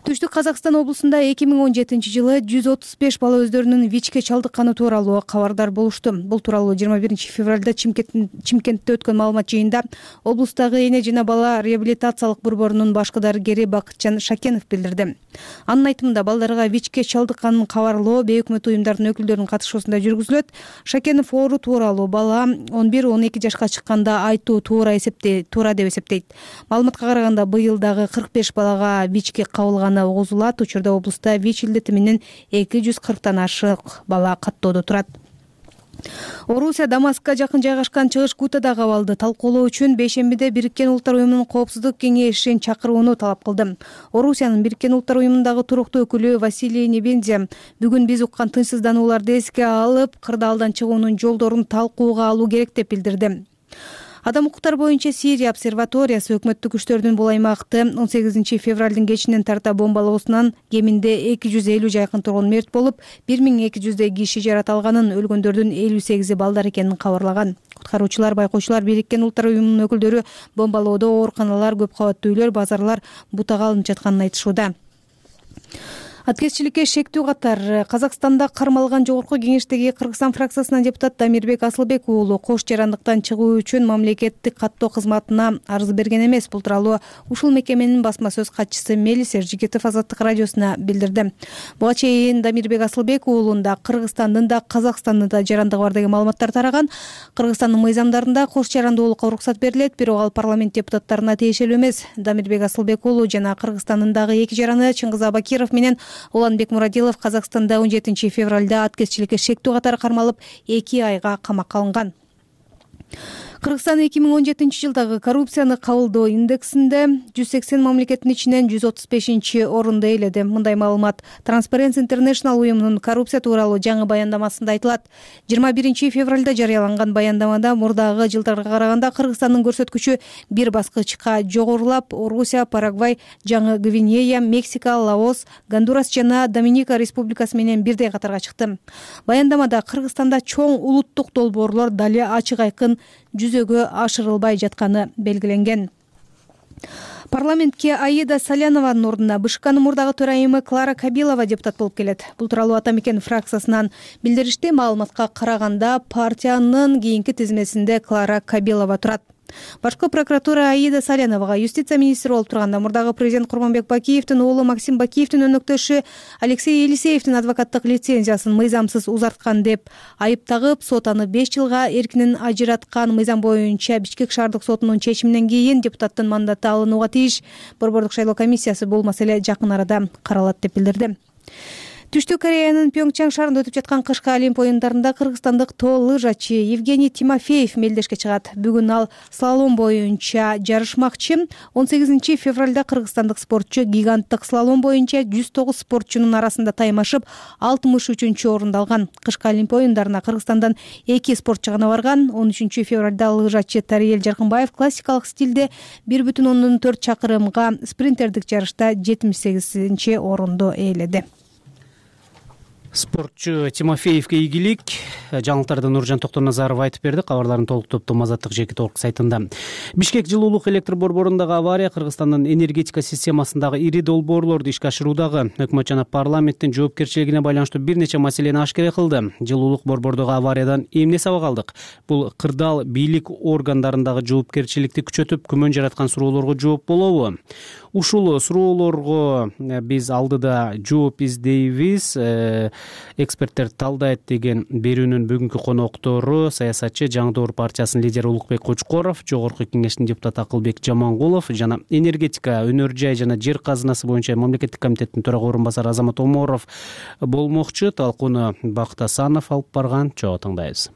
Түштүк Казакстан облусунда эки миң он жетинчи жылы жүз отуз беш бала өздөрүнүн ВИЧке чалдыкканы тууралуу кабардар болушту. Бул тууралуу жыйырма биринчи февралда Чимкентте өткөн маалымат жыйынында облустагы эне жана бала реабилитациялык борборунун башкы дарыгери Бакытжан Шакенов билдирди. Анын айтымында балдарга ВИЧке чалдыкканын кабарлоо бейөкмөт уюмдардын өкүлдөрүнүн катышуусунда жүргүзүлөт. Шакенов оору тууралуу бала он бир он эки жашка чыкканда айтуу туура эсептейт, туура деп эсептейт. Маалыматка караганда быйыл дагы кырк беш балага ВИЧке кабылган угузулат. Учурда облуста ВИЧ илдети менен эки жүз кырктан ашык бала каттоодо турат. Орусия Дамаскка жакын жайгашкан Чыгыш Гутада кабалды талкуулоо үчүн бейшембиде Бириккен Улуттар уюмунун коопсуздук кеңешин чакырууну талап кылды. Орусиянын Бириккен Улуттар уюмундагы туруктуу өкүлү Василий Небензя бүгүн биз уккан тынчсызданууларды эске алып, кырдаалдан чыгуунун жолдорун талкууга алуу керек деп билдирди. Адам укуктары боюнча Сирия обсерваториясы өкмөттүк күчтөрдүн бул аймакты он сегизинчи февралдын кечинен тарта бомбалоосунан кеминде эки жүз элүү жакын тургун мерт болуп, бир миң эки жүздөй киши жараталганын, өлгөндөрдүн элүү сегизи балдар экенин кабарлаган. Куткаруучулар, байкоочулар Бириккен Улуттар уюмунун өкүлдөрү бомбалоодо ооруканалар, көп кабаттуу үйлөр, базарлар бутага алынып жатканын айтышууда. Аткезчиликке шектүү катар Казакстанда кармалган жогорку кеңештеги Кыргызстан фракциясынын депутаты Дамирбек Асылбек уулу кош жарандыктан чыгуу үчүн мамлекеттик каттоо кызматына арыз берген эмес. Бул тууралуу ушул мекеменин басма сөз катчысы Мелис Эржигитов Азаттык радиосуна билдирди. Буга чейин Дамирбек Асылбек уулунда Кыргызстандын да Казакстандын да жарандыгы бар деген маалыматтар тараган. Кыргызстандын мыйзамдарында кош жарандуулукка уруксат берилет, бирок ал парламент депутаттарына тиешелүү эмес. Дамирбек Асылбек уулу жана Кыргызстандын дагы эки жараны Чыңгыз Абакиров менен Уланбек Мурадилов Казакстанда он жетинчи февралда аткезчиликке шектүү катары кармалып, эки айга камакка алынган. Кыргызстан эки миң он жетинчи жылдагы коррупцияны кабылдоо индексинде жүз сексен мамлекеттин ичинен жүз отуз бешинчи орунду ээледи. Мындай маалымат Transparency International уюмунун коррупция тууралуу жаңы баяндамасында айтылат. жыйырма биринчи февралда жарыяланган баяндамада мурдагы жылдарга караганда Кыргызстандын көрсөткүчү бир баскычка жогорулап, Орусия, Парагвай, Жаңы Гвинея, Мексика, Лаос, Гондурас жана Доминика республикасы менен бирдей катарга чыкты. Баяндамада Кыргызстанда чоң улуттук долбоорлор дали ачык айкын жүзөгө ашырылбай жатканы белгиленген. Парламентке Аида Салянованын ордуна БШКнын мурдагы төрайымы Клара Кабилова депутат болуп келет. Бул тууралуу Ата Мекен фракциясынан билдиришти. Маалыматка караганда партиянын кийинки тизмесинде Клара Кабилова турат. Башкы прокуратура Аида Саляновага юстиция министри болуп турганда мурдагы президент Курманбек Бакиевдин уулу Максим Бакиевдин өнөктөшү Алексей Елисеевдин адвокаттык лицензиясын мыйзамсыз узарткан деп айып тагып, сот аны беш жылга эркинен ажыраткан. Мыйзам боюнча Бишкек шаардык сотунун чечиминен кийин депутаттын мандаты алынууга тийиш. Борбордук шайлоо комиссиясы бул маселе жакын арада каралат деп билдирди. Түштүк Кореянын Пьонгчан шаарында өтүп жаткан кышкы Олимп оюндарында кыргызстандык тоо лыжачы Евгений Тимофеев мелдешке чыгат. Бүгүн ал слалом боюнча жарышмакчы. он сегизинчи февралда кыргызстандык спортчу гиганттык слалом боюнча жүз тогуз спортчунун арасында таймашып алтымыш үчүнчү орунду алган. Кышкы Олимп оюндарына Кыргызстандан эки спортчу гана барган. он үчүнчү февралда лыжачы Тариел Жаркынбаев классикалык стилде бир бүтүн ондон төрт чакырымга спринтердик жарышта жетимиш сегизинчи орунду ээледи. Спортчу Тимофеевке ийгилик. Жаңылыктарды Нуржан Токтоназаров айтып берди. Кабарларын толуктопту Азаттык жеке толук сайтында. Бишкек жылуулук электр борборундагы авария Кыргызстандын энергетика системасындагы ири долбоорлорду ишке ашыруудагы өкмөт жана парламенттин жоопкерчилигине байланыштуу бир нече маселени ашкере кылды. Жылуулук борбордогу авариядан эмне сабак алдык? Бул кырдаал бийлик органдарындагы жоопкерчиликти күчөтүп, күмөн жараткан суроолорго жооп болобу? Ушул суроолорго биз алдыда жооп издейбиз. Эксперттер талдайт деген берүүнүн бүгүнкү коноктору саясатчы Жаңы Доор партиясынын лидери Улукбек Кочкоров, Жогорку Кеңештин депутаты Акылбек Жамангулов жана энергетика, өнөр жай жана жер казынасы боюнча мамлекеттик комитеттин төрага орун басары Азамат Оморов болмокчу. Талкууну Бакыт Асанов алып барган. Чогуу тыңдайбыз.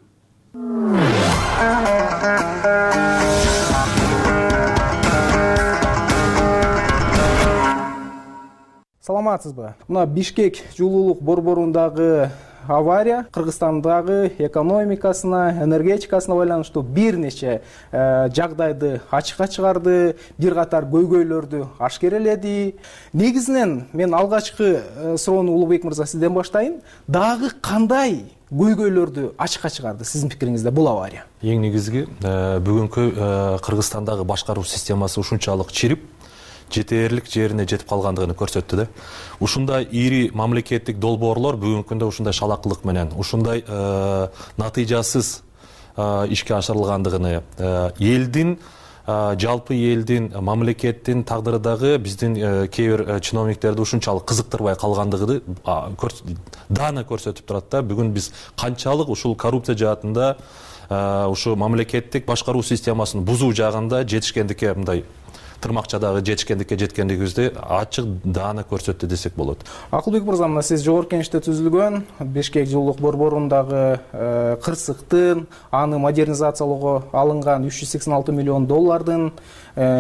Саламатсызбы? Мына Бишкек жылуулук борборундагы авария Кыргызстандагы экономикасына, энергетикасына байланыштуу бир нече жагдайды ачыкка чыгарды, бир катар көйгөйлөрдү ашкереледи. Негизинен мен алгачкы суроону Улукбек мырза сизден баштайын. Дагы кандай көйгөйлөрдү ачыкка чыгарды сиздин пикириңизде бул авария? Эң негизги бүгүнкү Кыргызстандагы башкаруу системасы ушунчалык чирип, жетерлик жерине жетип калгандыгын көрсөттү да. Ушундай ири мамлекеттик долбоорлор бүгүнкү күндө ушундай шалакылык менен, ушундай натыйжасыз ишке ашырылгандыгын, элдин жалпы элдин, мамлекеттин тагдыры дагы биздин кээ бир чиновниктерди ушунчалык кызыктырбай калгандыгын даана көрсөтүп турат да. Бүгүн биз канчалык ушул коррупция жаатында, ушу мамлекеттик башкаруу системасын бузуу жагында жетишкендикке, мындай тырмакчадагы жетишкендикке жеткендигибизди ачык даана көрсөттү десек болот. Акылбек мырза, мына сиз Жогорку Кеңеште түзүлгөн Бишкек жылуулук борборундагы кырсыктын, аны модернизациялоого алынган үч жүз сексен алты миллион доллардын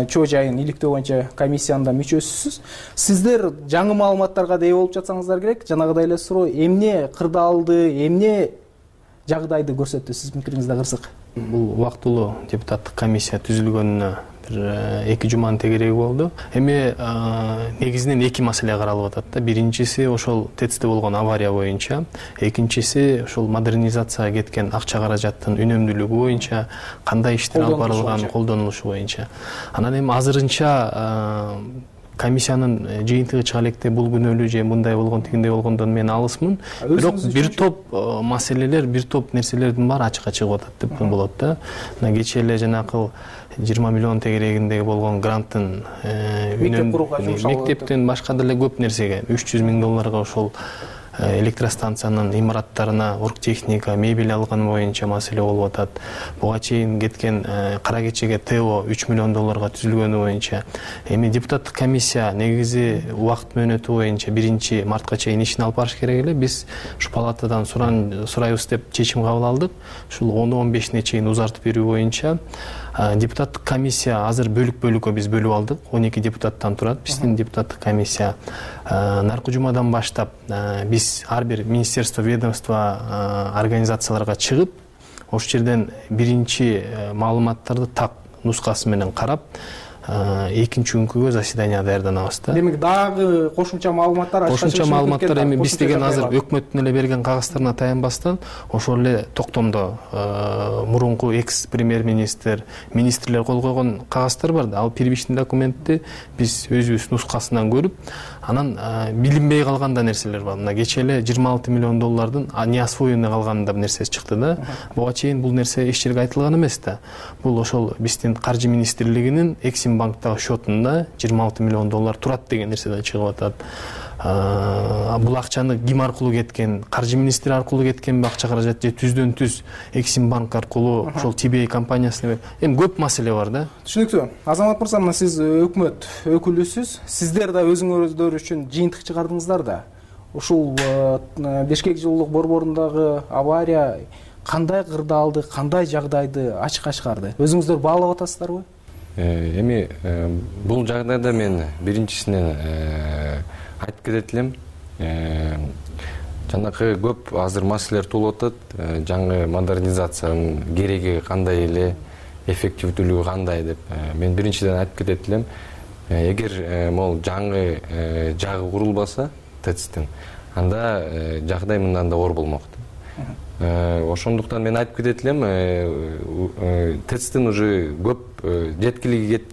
чоо жайын иликтөө боюнча комиссиянын мүчөсүсүз. Сиздер жаңы маалыматтарга ээ болуп жатсаңыздар керек. Жанагыдай эле суроо, эмне кырдаалды, эмне жагдайды көрсөттү сиздин пикириңизде кырсык? Бул убактылуу депутаттык комиссия түзүлгөнүнө эки жуманын тегереги болду. Эми негизинен эки маселе каралып атат да. Биринчиси ошол ТЭЦте болгон авария боюнча, экинчиси ошол модернизацияга кеткен акча каражаттын үнөмдүүлүгү боюнча, кандай иштер алып барылган, колдонулушу боюнча. Анан эми азырынча комиссиянын жыйынтыгы чыга электе бул күнөөлүү же мындай болгон, тигиндей болгондон мен алысмын. Бирок бир топ маселелер, бир топ нерселердин баары ачыкка чыгып атат деп болот да. Мына кечээ эле жанакы жыйырма миллион тегерегиндеги болгон гранттын мектептен башка деле көп нерсеге үч жүз миң долларга ошол электростанциянын имараттарына оргтехника, мебель алган боюнча маселе болуп атат. Буга чейин кеткен Кара кечеге ТЭО үч миллион долларга түзүлгөнү боюнча. Эми депутаттык комиссия негизи убакыт мөөнөтү боюнча биринчи мартка чейин ишин алып барыш керек эле. Биз ушу палатадан сурайбыз деп чечим кабыл алдык. Ушул он он бешине чейин узартып берүү боюнча депутаттык комиссия азыр бөлүк-бөлүккө биз бөлүп алдык. он эки депутаттан турат биздин депутаттык комиссия. Наркы жумадан баштап биз ар бир министерство, ведомство, организацияларга чыгып, ошол жерден биринчи маалыматтарды так нускасы менен карап, экинчи күнгө заседание даярданабыз да. Демек дагы кошумча маалыматтар, кошумча маалыматтар эми биз деген азыр өкмөттүн эле берген кагаздарына таянбастан, ошол эле токтомдо мурунку экс премьер-министр, министрлер кол койгон кагаздар бар да. Ал первичный документти биз өзүбүз нускасынан көрүп, анан билинбей калган да нерселер бар. Мына кечээ эле жыйырма алты миллион доллардын неосвоенный калганында нерсе чыкты да. Буга чейин бул нерсе эч жерге айтылган эмес да. Бул ошол биздин каржы министрлигинин Эксим банктагы счетунда жыйырма алты миллион доллар турат деген нерседен чыгып атат. Бул акчаны ким аркылуу кеткен, каржы министри аркылуу кеткенби акча каражат же түздөн түз Эксим банк аркылуу ошол Ти Би Эй компаниясына? Эми көп маселе бар да. Түшүнүктүү. Азамат мырза, мына сиз өкмөт өкүлүсүз. Сиздер да өзүңүздөр үчүн жыйынтык чыгардыңыздар да. ушул Бишкек жылуулук борборундагы авария кандай кырдаалды, кандай жагдайды ачыкка чыгарды? Өзүңүздөр баалап атасыздарбы? Эми бул жагдайда мен биринчисинен айтып кетет элем. Жанакы көп азыр маселелер туулуп атат. Жаңы модернизациянын кереги кандай эле, эффективдүүлүгү кандай деп. Мен биринчиден айтып кетет элем. Эгер могул жаңы жагы курулбаса ТЭЦтин, анда жагдай мындан да оор болмок. Ошондуктан мен айтып кетет элем, ТЭЦтин уже көп жеткилиги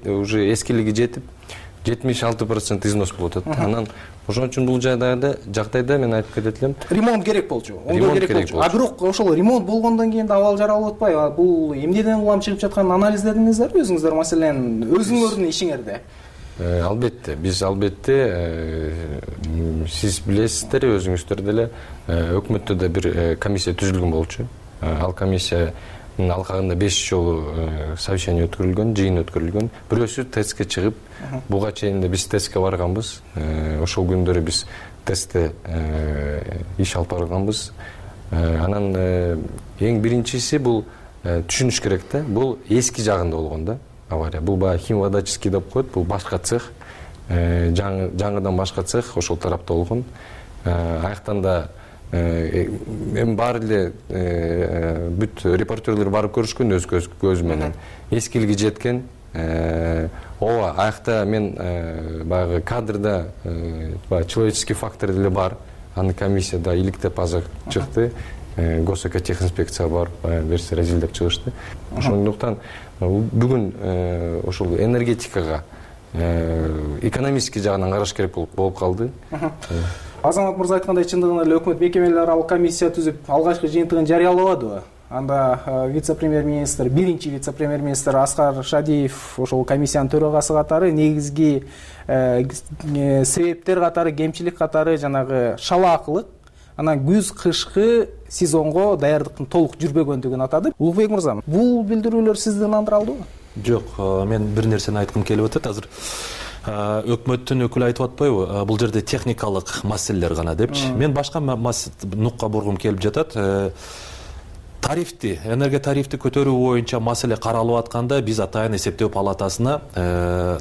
уже эскилиги жетип, жетимиш алты процент износ болуп атат. Анан ошон үчүн бул жагдайда жагдайда мен айтып кетет элем, ремонт керек болчу. Оңдоо керек болчу. А бирок ошол ремонт болгондон кийин да абал жаралып атпайбы? Бул эмнеден улам чыгып жатканын анализдедиңиздерби өзүңүздөр, маселен, өзүңөрдүн ишиңерде? Албетте, биз албетте, сиз билесиздер, өзүңүздөр деле өкмөттө да бир комиссия түзүлгөн болчу. Ал комиссиянын алкагында беш жолу совещание өткөрүлгөн, жыйын өткөрүлгөн. Бирөөсү ТЭЦке чыгып, буга чейин да биз ТЭЦке барганбыз. Ошол күндөрү биз ТЭЦте иш алып барганбыз. Анан эң биринчиси бул түшүнүш керек да, бул эски жагында болгон да. Авария. Бул баягы химводоческий деп коет, бул башка цех, жаңыдан башка цех ошол тарапта болгон. Аяктан да эми баары эле бүт репортерлер барып көрүшкөн өз көзү менен. Эскилиги жеткен. Ооба, аякта мен баягы кадрда баягы человеческий фактор деле бар. Аны комиссияда иликтеп азыр чыкты. Госэкотехинспекция бар, берсе разилдеп чыгышты. Ошондуктан бүгүн ошол энергетикага экономический жагынан караш керек болуп калды. Азамат мырза айткандай, чындыгында эле өкмөт мекемелери аралык комиссия түзүп алгачкы жыйынтыгын жарыялабадыбы? Анда вице-премьер-министр, биринчи вице-премьер-министр Аскар Шадиев ошол комиссиянын төрагасы катары негизги себептер катары, кемчилик катары жанагы шалаакылык, анан күз кышкы сезонго даярдыктын толук жүрбөгөндүгүн атады. Улукбек мырза, бул билдирүүлөр сизди ынандыра алдыбы? Жок, мен бир нерсени айткым келип атат. Азыр өкмөттүн өкүлү айтып атпайбы, бул жерде техникалык маселелер гана депчи. Мен башка нукка бургум келип жатат. Тарифти, энергия тарифти көтөрүү боюнча маселе каралып атканда биз атайын эсептөө палатасына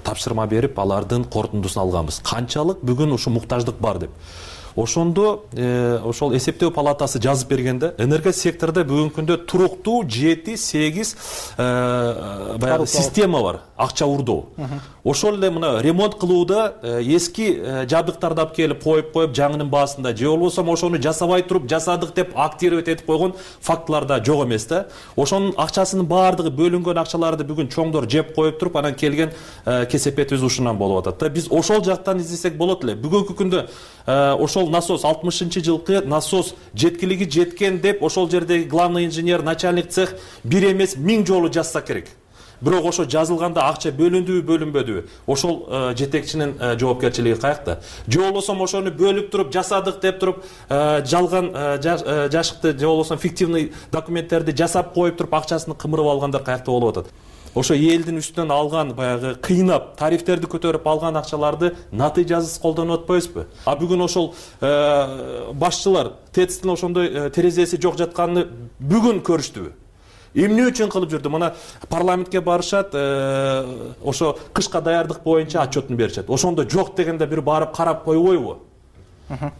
тапшырма берип, алардын корутундусун алганбыз. Канчалык бүгүн ушу муктаждык бар деп. Ошондо ошол эсептөө палатасы жазып бергенде энергия секторунда бүгүнкү күндө туруктуу жети сегиз баягы система бар, акча урдоо. Ошол эле мына ремонт кылууда эски жабдыктарды алып келип коюп коюп жаңынын баасында же болбосо ошону жасабай туруп жасадык деп актировать этип койгон фактылар да жок эмес да. Ошонун акчасынын баардыгы бөлүнгөн акчаларды бүгүн чоңдор жеп коюп туруп анан келген кесепетибиз ушундан болуп атат да. Биз ошол жактан издесек болот эле. Бүгүнкү күндө ошол насос алтымышынчы жылкы насос жеткилиги жеткен деп ошол жердеги главный инженер, начальник цех бир эмес миң жолу жазса керек. Бирок ошо жазылганда акча бөлүндүбү, бөлүнбөдүбү? Ошол жетекчинин жоопкерчилиги каякта? Же болбосо ошону бөлүп туруп жасадык деп туруп жалган жашыкты же болбосо фиктивный документтерди жасап коюп туруп акчасын кымырып алгандар каякта болуп атат? Ошо элдин үстүнөн алган баягы кыйнап тарифтерди көтөрүп алган акчаларды натыйжасыз колдонуп атпайбызбы? А бүгүн ошол башчылар ТЭЦтин ошондой терезеси жок жатканын бүгүн көрүштүбү? Эмне үчүн кылып жүрдү? Мына парламентке барышат, ошо кышка даярдык боюнча отчетун беришет. Ошондо жок дегенде бир барып карап койбойбу?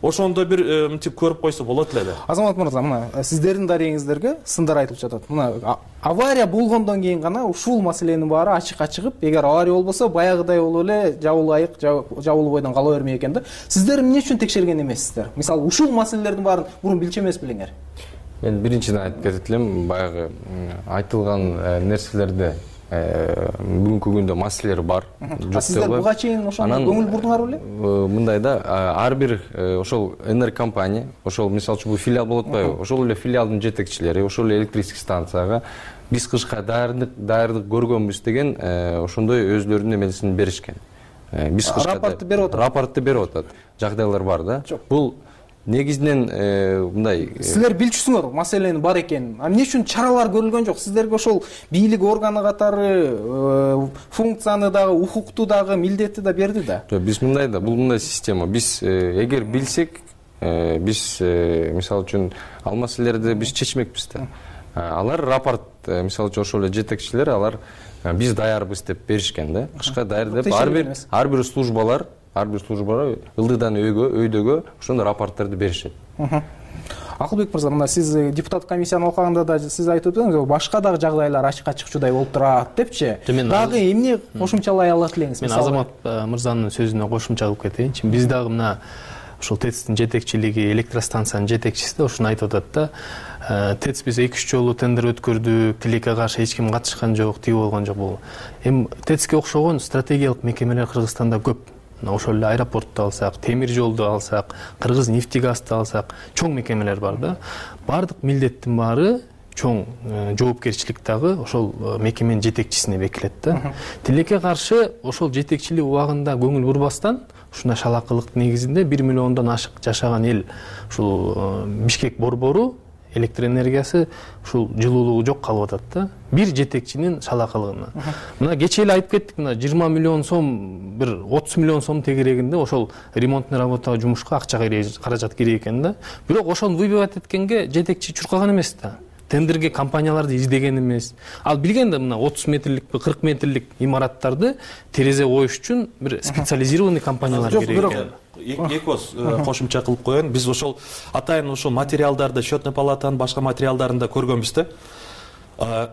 Ошондо бир мынтип көрүп койсо болот эле да. Азамат мырза, мына сиздердин дарегиңиздерге сындар айтылып жатат. Мына авария болгондон кийин гана ушул маселенин баары ачыкка чыгып, эгер авария болбосо баягыдай болуп эле жабылуу айык, жабылуу бойдон кала бермей экен да. Сиздер эмне үчүн текшерген эмессиздер? Мисалы, ушул маселелердин баарын мурун билчү эмес белеңер? Мен биринчиден айтып кетет элем, баягы айтылган нерселерде бүгүнкү күндө маселелер бар. Сиздер буга чейин ошондо көңүл бурдуңар беле? Мындай да, ар бир ошол энергокомпания, ошол мисалы үчүн бул филиал болуп атпайбы? Ошол эле филиалдын жетекчилери, ошол эле электрический станцияга биз кышка даярдык даярдык көргөнбүз деген ошондой өзлөрүнүн эмесин беришкен. Биз кышка рапортты берип атат. Рапортты берип атат. Жагдайлар бар да. Бул негизинен мындай силер билчүсүңөр маселенин бар экенин. А эмне үчүн чаралар көрүлгөн жок? Сиздерге ошол бийлик органы катары функцияны дагы, укукту дагы, милдетти да берди да. Жок, биз мындай да, бул мындай система. Биз эгер билсек, биз мисалы үчүн ал маселелерди биз чечмекпиз да. Алар рапорт, мисалы үчүн ошол эле жетекчилер, алар биз даярбыз деп беришкен да. Кышка даяр деп ар бир ар бир службалар, ар бир службалар ылдыйдан өйгө, өйдөгө ошондой рапорттарды беришет. Акылбек мырза, мына сиз депутат комиссияны окуганда да сиз айтып өттүңүз, башка дагы жагдайлар ачыкка чыкчудай болуп турат депчи. Дагы эмне кошумчалай алат элеңиз? Мен Азамат мырзанын сөзүнө кошумча кылып кетейинчи. Биз дагы мына ошол ТЭЦтин жетекчилиги, электростанциянын жетекчиси да ушуну айтып атат да. ТЭЦ биз эки үч жолу тендер өткөрдүк, тилекке каршы эч ким катышкан жок, тиги болгон жок. Бул эми ТЭЦке окшогон стратегиялык мекемелер Кыргызстанда көп. Ошол эле аэропортду алсак, темир жолду алсак, Кыргыз нефтегазды алсак, чоң мекемелер бар да. Бардык милдеттин баары чоң жоопкерчилик дагы ошол мекеменин жетекчисине бекилет да. Тилекке каршы ошол жетекчилик убагында көңүл бурбастан ушундай шалакылык негизинде бир миллиондон ашык жашаган эл ушул Бишкек борбору электр энергиясы ушул жылуулугу жок калып атат да. Бир жетекчинин шалакылыгына. Мына кечээ эле айтып кеттик, мына жыйырма миллион сом, бир отуз миллион сом тегерегинде ошол ремонтный работага, жумушка акча каражат керек экен да. Бирок ошону выбивать эткенге жетекчи чуркаган эмес да. Тендерге компанияларды издеген эмес. Ал билген да, мына отуз метрлик, кырк метрлик имараттарды терезе коюш үчүн бир специализированный компаниялар керек экен. Эки оз кошумча кылып коеюн. Биз ошол атайын ошол материалдарды счетный палатанын башка материалдарында көргөнбүз да.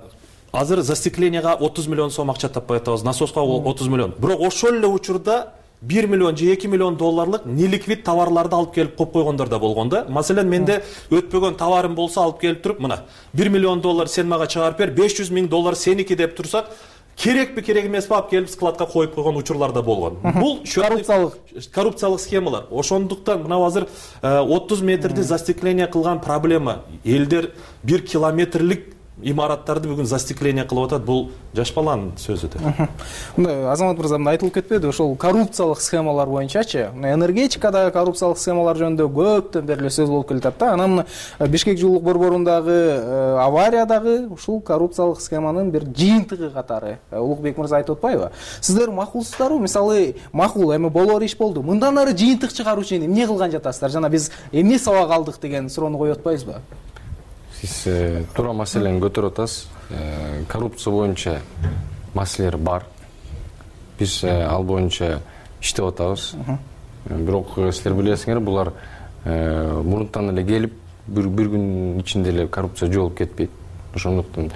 Азыр застекленияга отуз миллион сом акча таппай атабыз, насоска отуз миллион. Бирок ошол эле учурда бир миллион же эки миллион долларлык неликвид товарларды алып келип коюп койгондор да болгон да. Маселен менде өтпөгөн товарым болсо алып келип туруп, мына бир миллион доллар сен мага чыгарып бер, беш жүз миң доллар сеники деп турсак, керекпи керек эмеспи алып келип складка коюп койгон учурлар да болгон. Бул коррупциялык коррупциялык схемалар. Ошондуктан мына азыр отуз метрди застекление кылган проблема. Элдер бир километрлик имараттарды бүгүн застекление кылып атат. Бул жаш баланын сөзү да. Мына Азамат мырза мына айтылып кетпеди, ошол коррупциялык схемалар боюнчачы. Мына энергетикада коррупциялык схемалар жөнүндө көптөн бери сөз болуп келатат да. Анан Бишкек жылуулук борборундагы авариядагы ушул коррупциялык схеманын бир жыйынтыгы катары Улукбек мырза айтып атпайбы? Сиздер макулсуздарбы? Мисалы, макул эми болор иш болду. Мындан ары жыйынтык чыгаруу үчүн эмне кылган жатасыздар? Жана биз эмне сабак алдык деген суроону коюп атпайбызбы? Сиз туура маселени көтөрүп атасыз. Коррупция боюнча маселелер бар. Биз ал боюнча иштеп атабыз. Бирок силер билесиңер, булар мурунтан эле келип, бир күн ичинде эле коррупция жоолуп кетпейт. Ошондуктан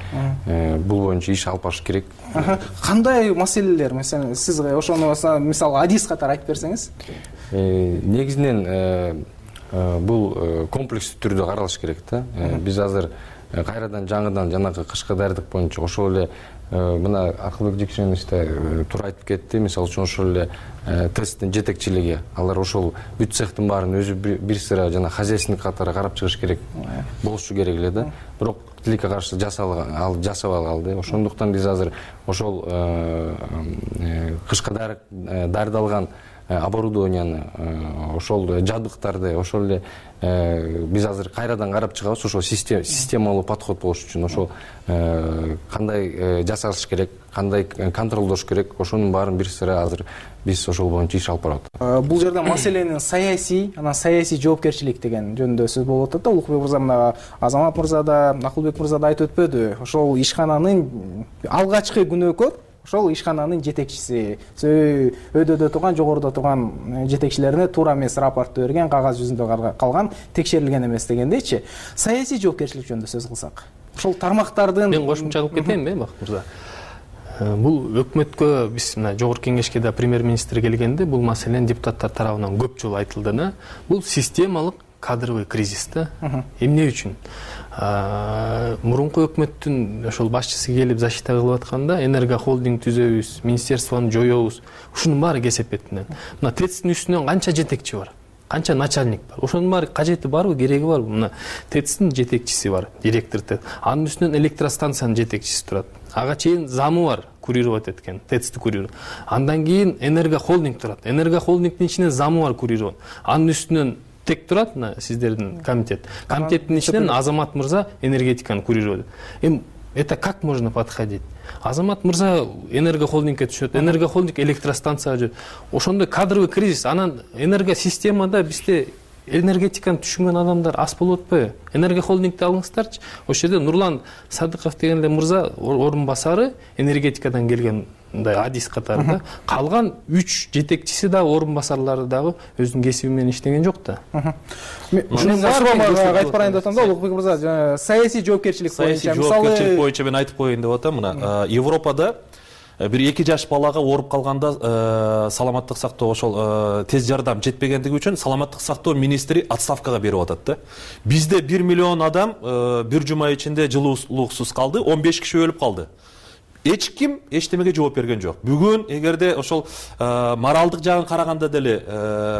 бул боюнча иш алып барыш керек. Кандай маселелер, мисалы, сиз ошону мисалы адис катары айтып берсеңиз? Негизинен бул комплекстүү түрдө каралыш керек да. Биз азыр кайрадан жаңыдан жанагы кышкы даярдык боюнча ошол эле мына Акылбек Жекшенов туура айтып кетти. Мисалы үчүн ошол эле ТЭЦтин жетекчилиги, алар ошол бүт цехтин баарын өзү бир сыра жана хозяйственник катары карап чыгыш керек болушу керек эле да. Бирок тилекке каршы жасалган, ал жасабай калды. Ошондуктан биз азыр ошол кышкы даярдалган оборудованияны, ошол жабдыктарды, ошол эле биз азыр кайрадан карап чыгабыз. Ошол системалуу подход болуш үчүн ошол кандай жасалыш керек, кандай контролдош керек, ошонун баарын бир сыра азыр биз ошол боюнча иш алып барып атабыз. Бул жерде маселенин саясий, анан саясий жоопкерчилик деген жөнүндө сөз болуп атат да. Улукбек мырза, мына Азамат мырза да, Акылбек мырза да айтып өтпөдү. Ошол ишкананын алгачкы күнөөкөр ошол ишкананын жетекчиси, өйдөдө турган, жогоруда турган жетекчилерине туура эмес рапорту берген, кагаз жүзүндө калган, текшерилген эмес дегендейчи. Саясий жоопкерчилик жөнүндө сөз кылсак, ошол тармактардын мен кошумча кылып кетейинби, Бакыт мырза? Бул өкмөткө, биз мына жогорку кеңешке да премьер-министр келгенде бул маселени депутаттар тарабынан көп жолу айтылды да. Бул системалык кадровый кризис да. Эмне үчүн? Мурунку өкмөттүн ошол башчысы келип защита кылып атканда, энергохолдинг түзөбүз, министерствону жоёбуз, ушунун баары кесепетинен. Мына ТЭЦтин үстүнөн канча жетекчи бар, канча начальник бар. Ошонун баары кажети барбы, кереги барбы? Мына ТЭЦтин жетекчиси бар, директор ТЭЦ. Анын үстүнөн электростанциянын жетекчиси турат. Ага чейин замы бар, курировать эткен, ТЭЦти курировать. Андан кийин энергохолдинг турат. Энергохолдингдин ичинен замы бар, курировать. Анын үстүнөн тек турат мына сиздердин комитет комитеттин ичинен Азамат мырза энергетиканы курировать этет. Эми это как можно подходить? Азамат мырза энергохолдингке түшөт, энергохолдинг электростанцияга жүрөт. Ошондой кадровый кризис, анан энергосистемада бизде энергетиканы түшүнгөн адамдар аз болуп атпайбы? Энергохолдингди алыңыздарчы. Ошол жерде Нурлан Садыков деген эле мырза орун басары энергетикадан келген мындай адис катары да. Калган үч жетекчиси да орун басарлары дагы өзүнүн кесиби менен иштеген жок да. Ушунун башка айтып барайын деп атам да, Улукбек мырза, саясий жоопкерчилик боюнча, мисалы жоопкерчилик боюнча мен айтып коеюн деп атам. Мына Европада бир эки жаш балага ооруп калганда саламаттык сактоо ошол тез жардам жетпегендиги үчүн саламаттык сактоо министри отставкага берип атат да. Бизде бир миллион адам бир жума ичинде жылуулуксуз калды, он беш киши өлүп калды. Эч ким эчтемеге жооп берген жок. Бүгүн эгерде ошол моралдык жагын караганда деле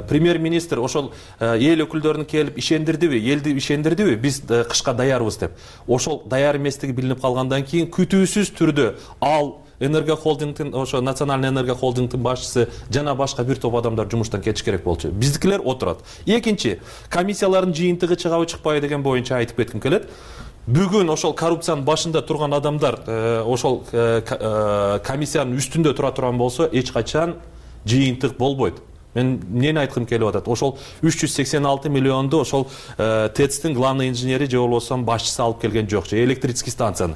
премьер-министр ошол эл өкүлдөрүн келип ишендирдиби, элди ишендирдиби, биз кышка даярбыз деп. Ошол даяр эместиги билинип калгандан кийин күтүүсүз түрдө ал энергохолдингдин, ошо национальный энергохолдингдин башчысы жана башка бир топ адамдар жумуштан кетиш керек болчу. Биздикилер отурат. Экинчи, комиссиялардын жыйынтыгы чыгабы чыкпайбы деген боюнча айтып кетким келет. Бүгүн ошол коррупциянын башында турган адамдар ошол комиссиянын үстүндө тура турган болсо, эч качан жыйынтык болбойт. Мен эмнени айткым келип атат? Ошол үч жүз сексен алты миллионду ошол ТЭЦтин главный инженери же болбосо башчысы алып келген жок, же электрический станцияны.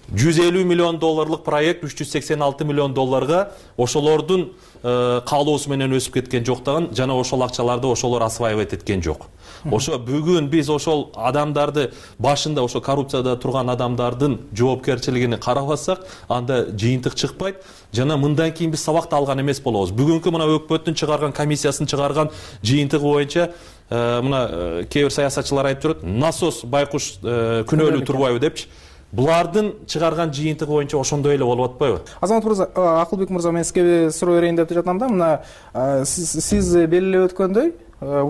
жүз элүү миллион долларлык проект үч жүз сексен алты миллион долларга ошолордун каалоосу менен өсүп кеткен жоктаган, жана ошол акчаларды ошолор осваивать эткен жок. Ошо бүгүн биз ошол адамдарды башында ошо коррупцияда турган адамдардын жоопкерчилигини карабасак, анда жыйынтык чыкпайт. Жана мындан кийин биз сабакты алган эмес болобуз. Бүгүнкү мына өкмөттүн чыгарган комиссиясын чыгарган жыйынтыгы боюнча мына кээ бир саясатчылар айтып жүрөт, насос байкуш күнөөлүү турбайбы депчи. Булардын чыгарган жыйынтыгы боюнча ошондой эле болуп атпайбы? Азамат мырза, Акылбек мырза, мен сизге суроо берейин деп жатам да. Мына сиз белгилеп өткөндөй,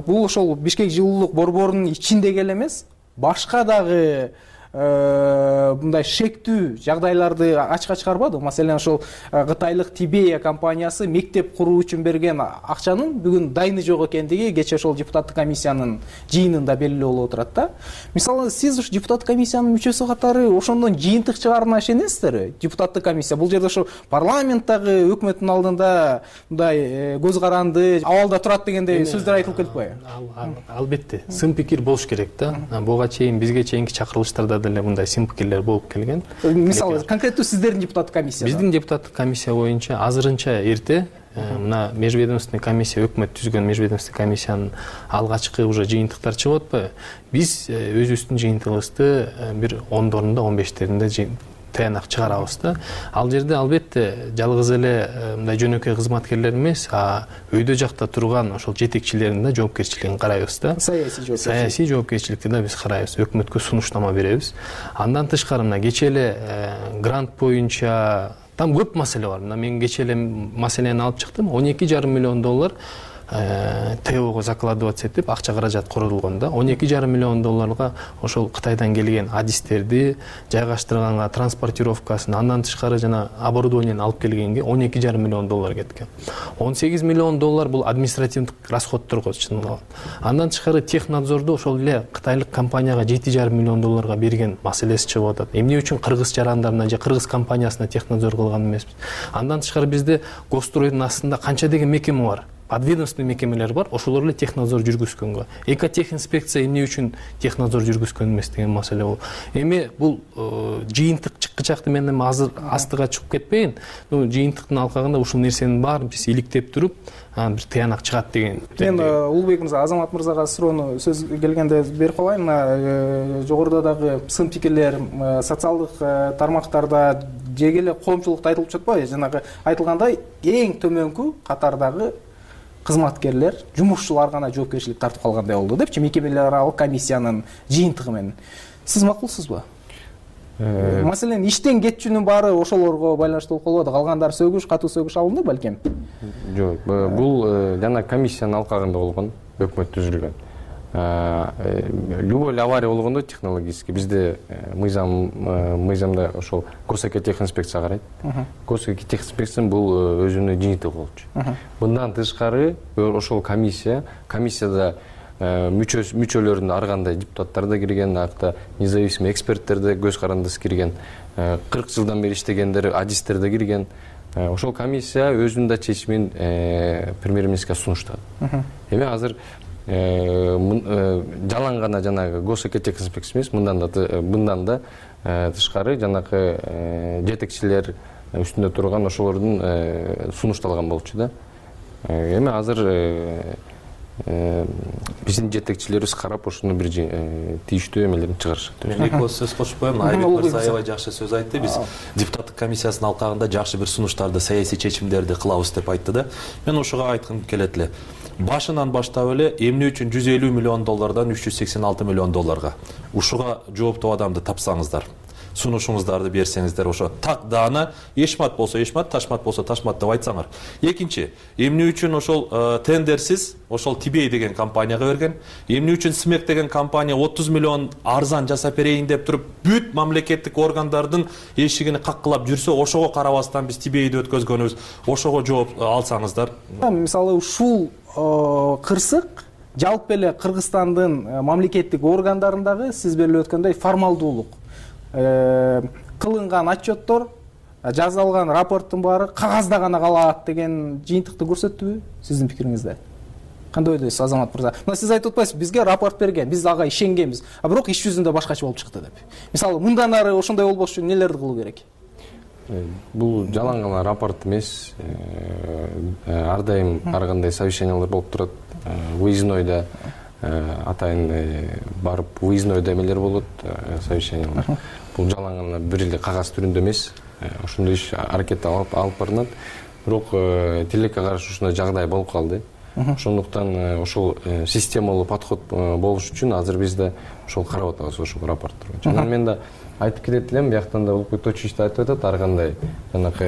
бул ошол Бишкек жылуулук борборунун ичиндеги эле эмес, башка дагы мындай шектүү жагдайларды ачка чыгарбады. Маселен, ошол Кытайлык Тибея компаниясы мектеп куруу үчүн берген акчанын бүгүн дайыны жок экендиги кече ошол депутаттык комиссиянын жыйынында белгилүү болуп отурат да. Мисалы, сиз ушу депутаттык комиссиянын мүчөсү катары ошондон жыйынтык чыгарына ишенесиздерби? Депутаттык комиссия бул жерде ошо парламенттагы өкмөттүн алдында мындай көз каранды абалда турат дегендей сөздөр айтылып келиппи? Албетте, сын пикир болуш керек да. Буга чейин бизге чейинки чакырылыштарда деле мындай сын пикирлер болуп келген. Мисалы, конкреттүү сиздердин депутаттык комиссия. Биздин депутаттык комиссия боюнча азырынча эрте мына межведомственный комиссия, өкмөт түзгөн межведомственный комиссиянын алгачкы уже жыйынтыктар чыгып атпайбы? Биз өзүбүздүн жыйынтыгыбызды бир ондорунда, он бештеринде таянак чыгарабыз да. Ал жерде албетте жалгыз эле мындай жөнөкөй кызматкерлер эмес, а өйдө жакта турган ошол жетекчилердин да жоопкерчилигин карайбыз да. Саясий жоопкерчилик. Саясий жоопкерчиликти да биз карайбыз, өкмөткө сунуштама беребиз. Андан тышкары мына кечээ эле грант боюнча там көп маселе бар. Мына мен кечээ эле маселени алып чыктым. он эки жарым миллион доллар ТОго закладываться этип акча каражат курулган да. он эки жарым миллион долларга ошол Кытайдан келген адистерди жайгаштырганга, транспортировкасын, андан тышкары жана оборудованияны алып келгенге он эки жарым миллион доллар кеткен. он сегиз миллион доллар бул административдик расходторго чыгылган. Андан тышкары технадзорду ошол эле кытайлык компанияга жети жарым миллион долларга берген маселеси чыгып атат. Эмне үчүн кыргыз жарандарына же кыргыз компаниясына технадзор кылган эмеспиз? Андан тышкары бизде госстройдун астында канча деген мекеме бар? Подведомственный мекемелер бар, ошолор эле технадзор жүргүзгөнгө. Экотехинспекция эмне үчүн технадзор жүргүзгөн эмес деген маселе бул. Эми бул жыйынтык чыккычакты мен эми азыр астыга чыгып кетпейин. Жыйынтыктын алкагында ушул нерсенин баарын биз иликтеп туруп, бир таянак чыгат деген. Мен Улукбек мырза, Азамат мырзага суроону сөз келгенде берип калайын. Мына жогоруда дагы сын пикирлер социалдык тармактарда жеге эле коомчулукта айтылып жатпайбы? Жанагы айтылгандай эң төмөнкү катардагы кызматкерлер, жумушчулар гана жоопкерчилик тартып калгандай болду депчи, мекемелер аралык комиссиянын жыйынтыгы менен. Сиз макулсузбу? Маселен, иштен кетчүнүн баары ошолорго байланыштуу болуп калбады. Калгандары сөгүш, катуу сөгүш алынды балким? Жок, бул жана комиссиянын алкагында болгон, өкмөт түзүлгөн. Любой авария болгондо технологический бизде мыйзам мыйзамда ошол госэкотехинспекция карайт. Госэкотехинспекция бул өзүнүн жыйынтыгы болчу. Мындан тышкары ошол комиссия комиссияда мүчөлөрүнө ар кандай депутаттар да кирген, акта независимый эксперттер да көз карандысы кирген, кырк жылдан бери иштегендер, адистер да кирген. Ошол комиссия өзүнүн да чечимин премьер-министрге сунуштады. Эми азыр жалаң гана жанагы госэкотех эмес, мындан да мындан да тышкары жанагы жетекчилер үстүндө турган ошолордун сунушталган болчу да. Эми азыр биздин жетекчилерибиз карап ошону бир тийиштүү эмелерин чыгарышат. Мен эки ооз сөз кошуп коем. Айбек Мырзаева жакшы сөз айтты. Биз депутаттык комиссиянын алкагында жакшы бир сунуштарды, саясий чечимдерди кылабыз деп айтты да. Мен ошого айткым келет эле. Башынан баштап эле эмне үчүн жүз элүү миллион доллардан үч жүз сексен алты миллион долларга ушуга жооптуу адамды тапсаңыздар, сунушуңуздарды берсеңиздер, ошо так даана эшмат болсо эшмат, ташмат болсо ташмат деп айтсаңар. Экинчи, эмне үчүн ошол тендерсиз ошол Тибей деген компанияга берген, эмне үчүн Смек деген компания отуз миллион арзан жасап берейин деп туруп бүт мамлекеттик органдардын эшигини каккылап жүрсө, ошого карабастан биз Тибейди өткөзгөнүбүз, ошого жооп алсаңыздар. Мисалы ушул кырсык жалпы эле Кыргызстандын мамлекеттик органдарындагы сиз белип өткөндөй формалдуулук, кылынган отчеттор, жазылган рапорттун баары кагазда гана калат деген жыйынтыкты көрсөттүбү сиздин пикириңизде? Кандай ойдойсуз, Азамат мырза? Мына сиз айтып атпайсызбы, бизге рапорт берген, биз ага ишенгенбиз, а бирок иш жүзүндө башкача болуп чыкты деп. Мисалы, мындан ары ошондой болбош үчүн нелерди кылуу керек? Бул жалаң гана рапорт эмес, ар дайым ар кандай совещаниялар болуп турат, выезднойда атайын барып выезднойда эмелер болот, совещаниялар. Бул жалаң гана бир эле кагаз түрүндө эмес, ошондой иш аракет алып барылат. Бирок тилекке каршы ушундай жагдай болуп калды. Ошондуктан ошол системалуу подход болуш үчүн азыр биз да ошол карап атабыз, ошол рапорттор. Анан мен да айтып кетет элем, бияктан да Улукбек Точич да айтып атат, ар кандай жанакы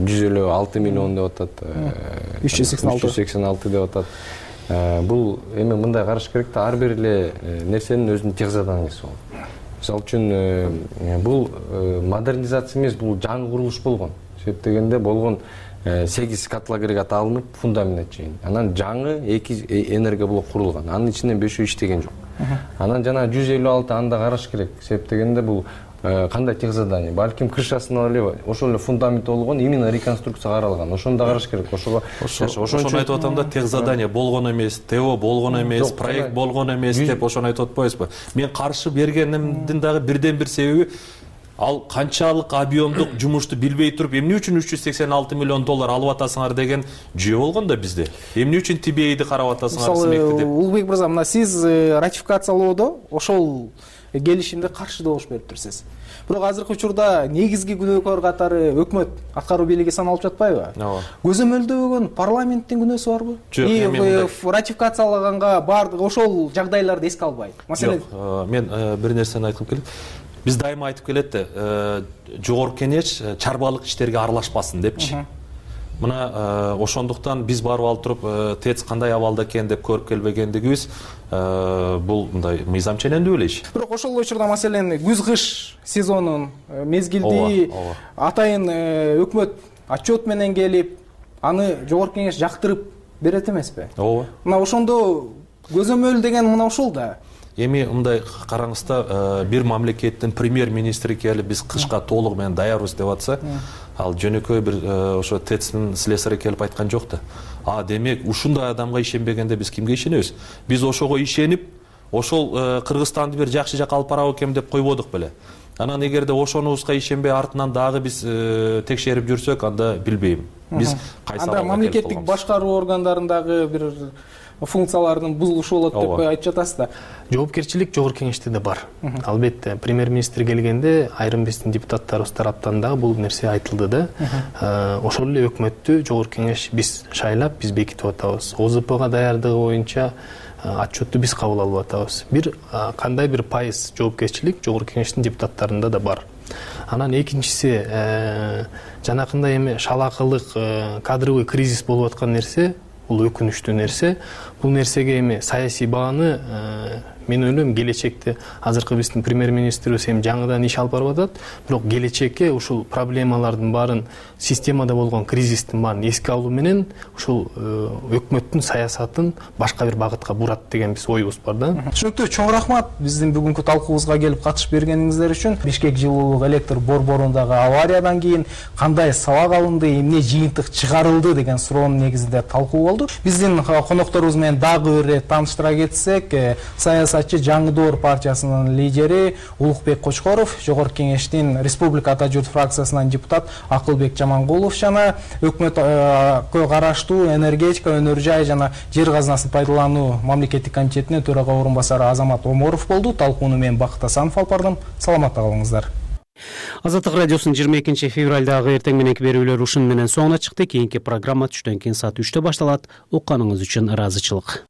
жүз элүү алты миллион деп атат, үч жүз сексен алты деп атат. Бул эми мындай караш керек да, ар бир эле нерсенин өзүнүн техзаданиясы болот. Мисалы үчүн бул модернизация эмес, бул жаңы курулуш болгон. Себеп дегенде болгон сегиз котлоагрегат алынып, фундамент чейин. Анан жаңы эки энергоблок курулган. Анын ичинен бешөө иштеген жок. Анан жана жүз элүү алты анда караш керек. Себеп дегенде бул кандай техзадание? Балким крышасын эле ошол эле фундамент болгон, именно реконструкция каралган. Ошону да караш керек. Ошого ошону айтып атам да, техзадание болгон эмес, ТО болгон эмес, проект болгон эмес деп ошону айтып атпайсызбы? Мен каршы бергенимдин дагы бирден бир себеби, ал канчалык объемдук жумушту билбей туруп, эмне үчүн үч жүз сексен алты миллион доллар алып атасыңар деген жүйө болгон да бизде. Эмне үчүн Тибейди карап атасыңар, Смекти деп. Улукбек мырза, мына сиз ратификациялоодо ошол келишимде каршы добуш берип турсуз. Бирок азыркы учурда негизги күнөөкөр катары өкмөт аткаруу бийлиги саналып жатпайбы? Ооба. Көзөмөлдөгөн парламенттин күнөөсү барбы? Жок, ратификациялаганга баардык ошол жагдайларды эске албайт. Маселен, мен бир нерсени айткым келет. Биз дайыма айтып келет да, жогорку кеңеш чарбалык иштерге аралашпасын депчи. Мына ошондуктан биз барып алып туруп ТЭЦ кандай абалда экен деп көрүп келбегендигибиз бул мындай мыйзам ченемдүү эле иш. Бирок ошол учурда маселен күз-кыш сезонун мезгилди атайын өкмөт отчет менен келип, аны жогорку кеңеш жактырып берет эмеспи? Ооба. Мына ошондо көзөмөл деген мына ушул да. Эми мындай караңызда, бир мамлекеттин премьер-министри келип биз кышка толугу менен даярбыз деп атса, ал жөнөкөй бир ошо ТЭЦтин слесары келип айткан жок да. А демек ушундай адамга ишенбегенде биз кимге ишенебиз? Биз ошого ишенип, ошол Кыргызстанды бир жакшы жакка алып барабы экен деп койбодук беле. Анан эгерде ошонубузга ишенбей артынан дагы биз текшерип жүрсөк, анда билбейм. Биз кайсы анда мамлекеттик башкаруу органдарындагы бир функциялардын бузулушу болот деп айтып жатасыз да. Жоопкерчилик жогорку кеңеште да бар. Албетте, премьер-министр келгенде айрым биздин депутаттарыбыз тараптан дагы бул нерсе айтылды да. Ошол эле өкмөттү жогорку кеңеш биз шайлап, биз бекитип атабыз. ОЗПга даярдыгы боюнча отчетту биз кабыл алып атабыз. Бир кандай бир пайыз жоопкерчилик жогорку кеңештин депутаттарында да бар. Анан экинчиси, жанакындай эми шалакылык кадровый кризис болуп аткан нерсе, бул өкүнүчтүү нерсе. Бул нерсеге эми саясий бааны мен ойлойм келечекте азыркы биздин премьер министрибиз эми жаңыдан иш алып барып атат, бирок келечекке ушул проблемалардын баарын, системада болгон кризистин баарын эске алуу менен ушул өкмөттүн саясатын башка бир багытка бурат деген биз оюбуз бар да. Түшүнүктүү, чоң рахмат биздин бүгүнкү талкуубузга келип катышып бергениңиздер үчүн. Бишкек жылуулук электр борборундагы авариядан кийин кандай сабак алынды, эмне жыйынтык чыгарылды деген суроонун негизинде талкуу болду. Биздин конокторубуз менен дагы бир ирет тааныштыра кетсек, саясатчы Жаңы Доор партиясынын лидери Улукбек Кочкоров, Жогорку Кеңештин Республика Ата журт фракциясынан депутат Акылбек Жамангулов жана өкмөткө караштуу энергетика, өнөр жай жана жер казынасын пайдалануу мамлекеттик комитетинин төрага орун басары Азамат Оморов болду. Талкууну мен Бакыт Асанов алып бардым. Саламатта калыңыздар. Азаттык радиосунун жыйырма экинчи февралдагы эртең мененки берүүлөр ушун менен соңуна чыкты. Кийинки программа түштөн кийин саат үчтө башталат. Укканыңыз үчүн ыраазычылык.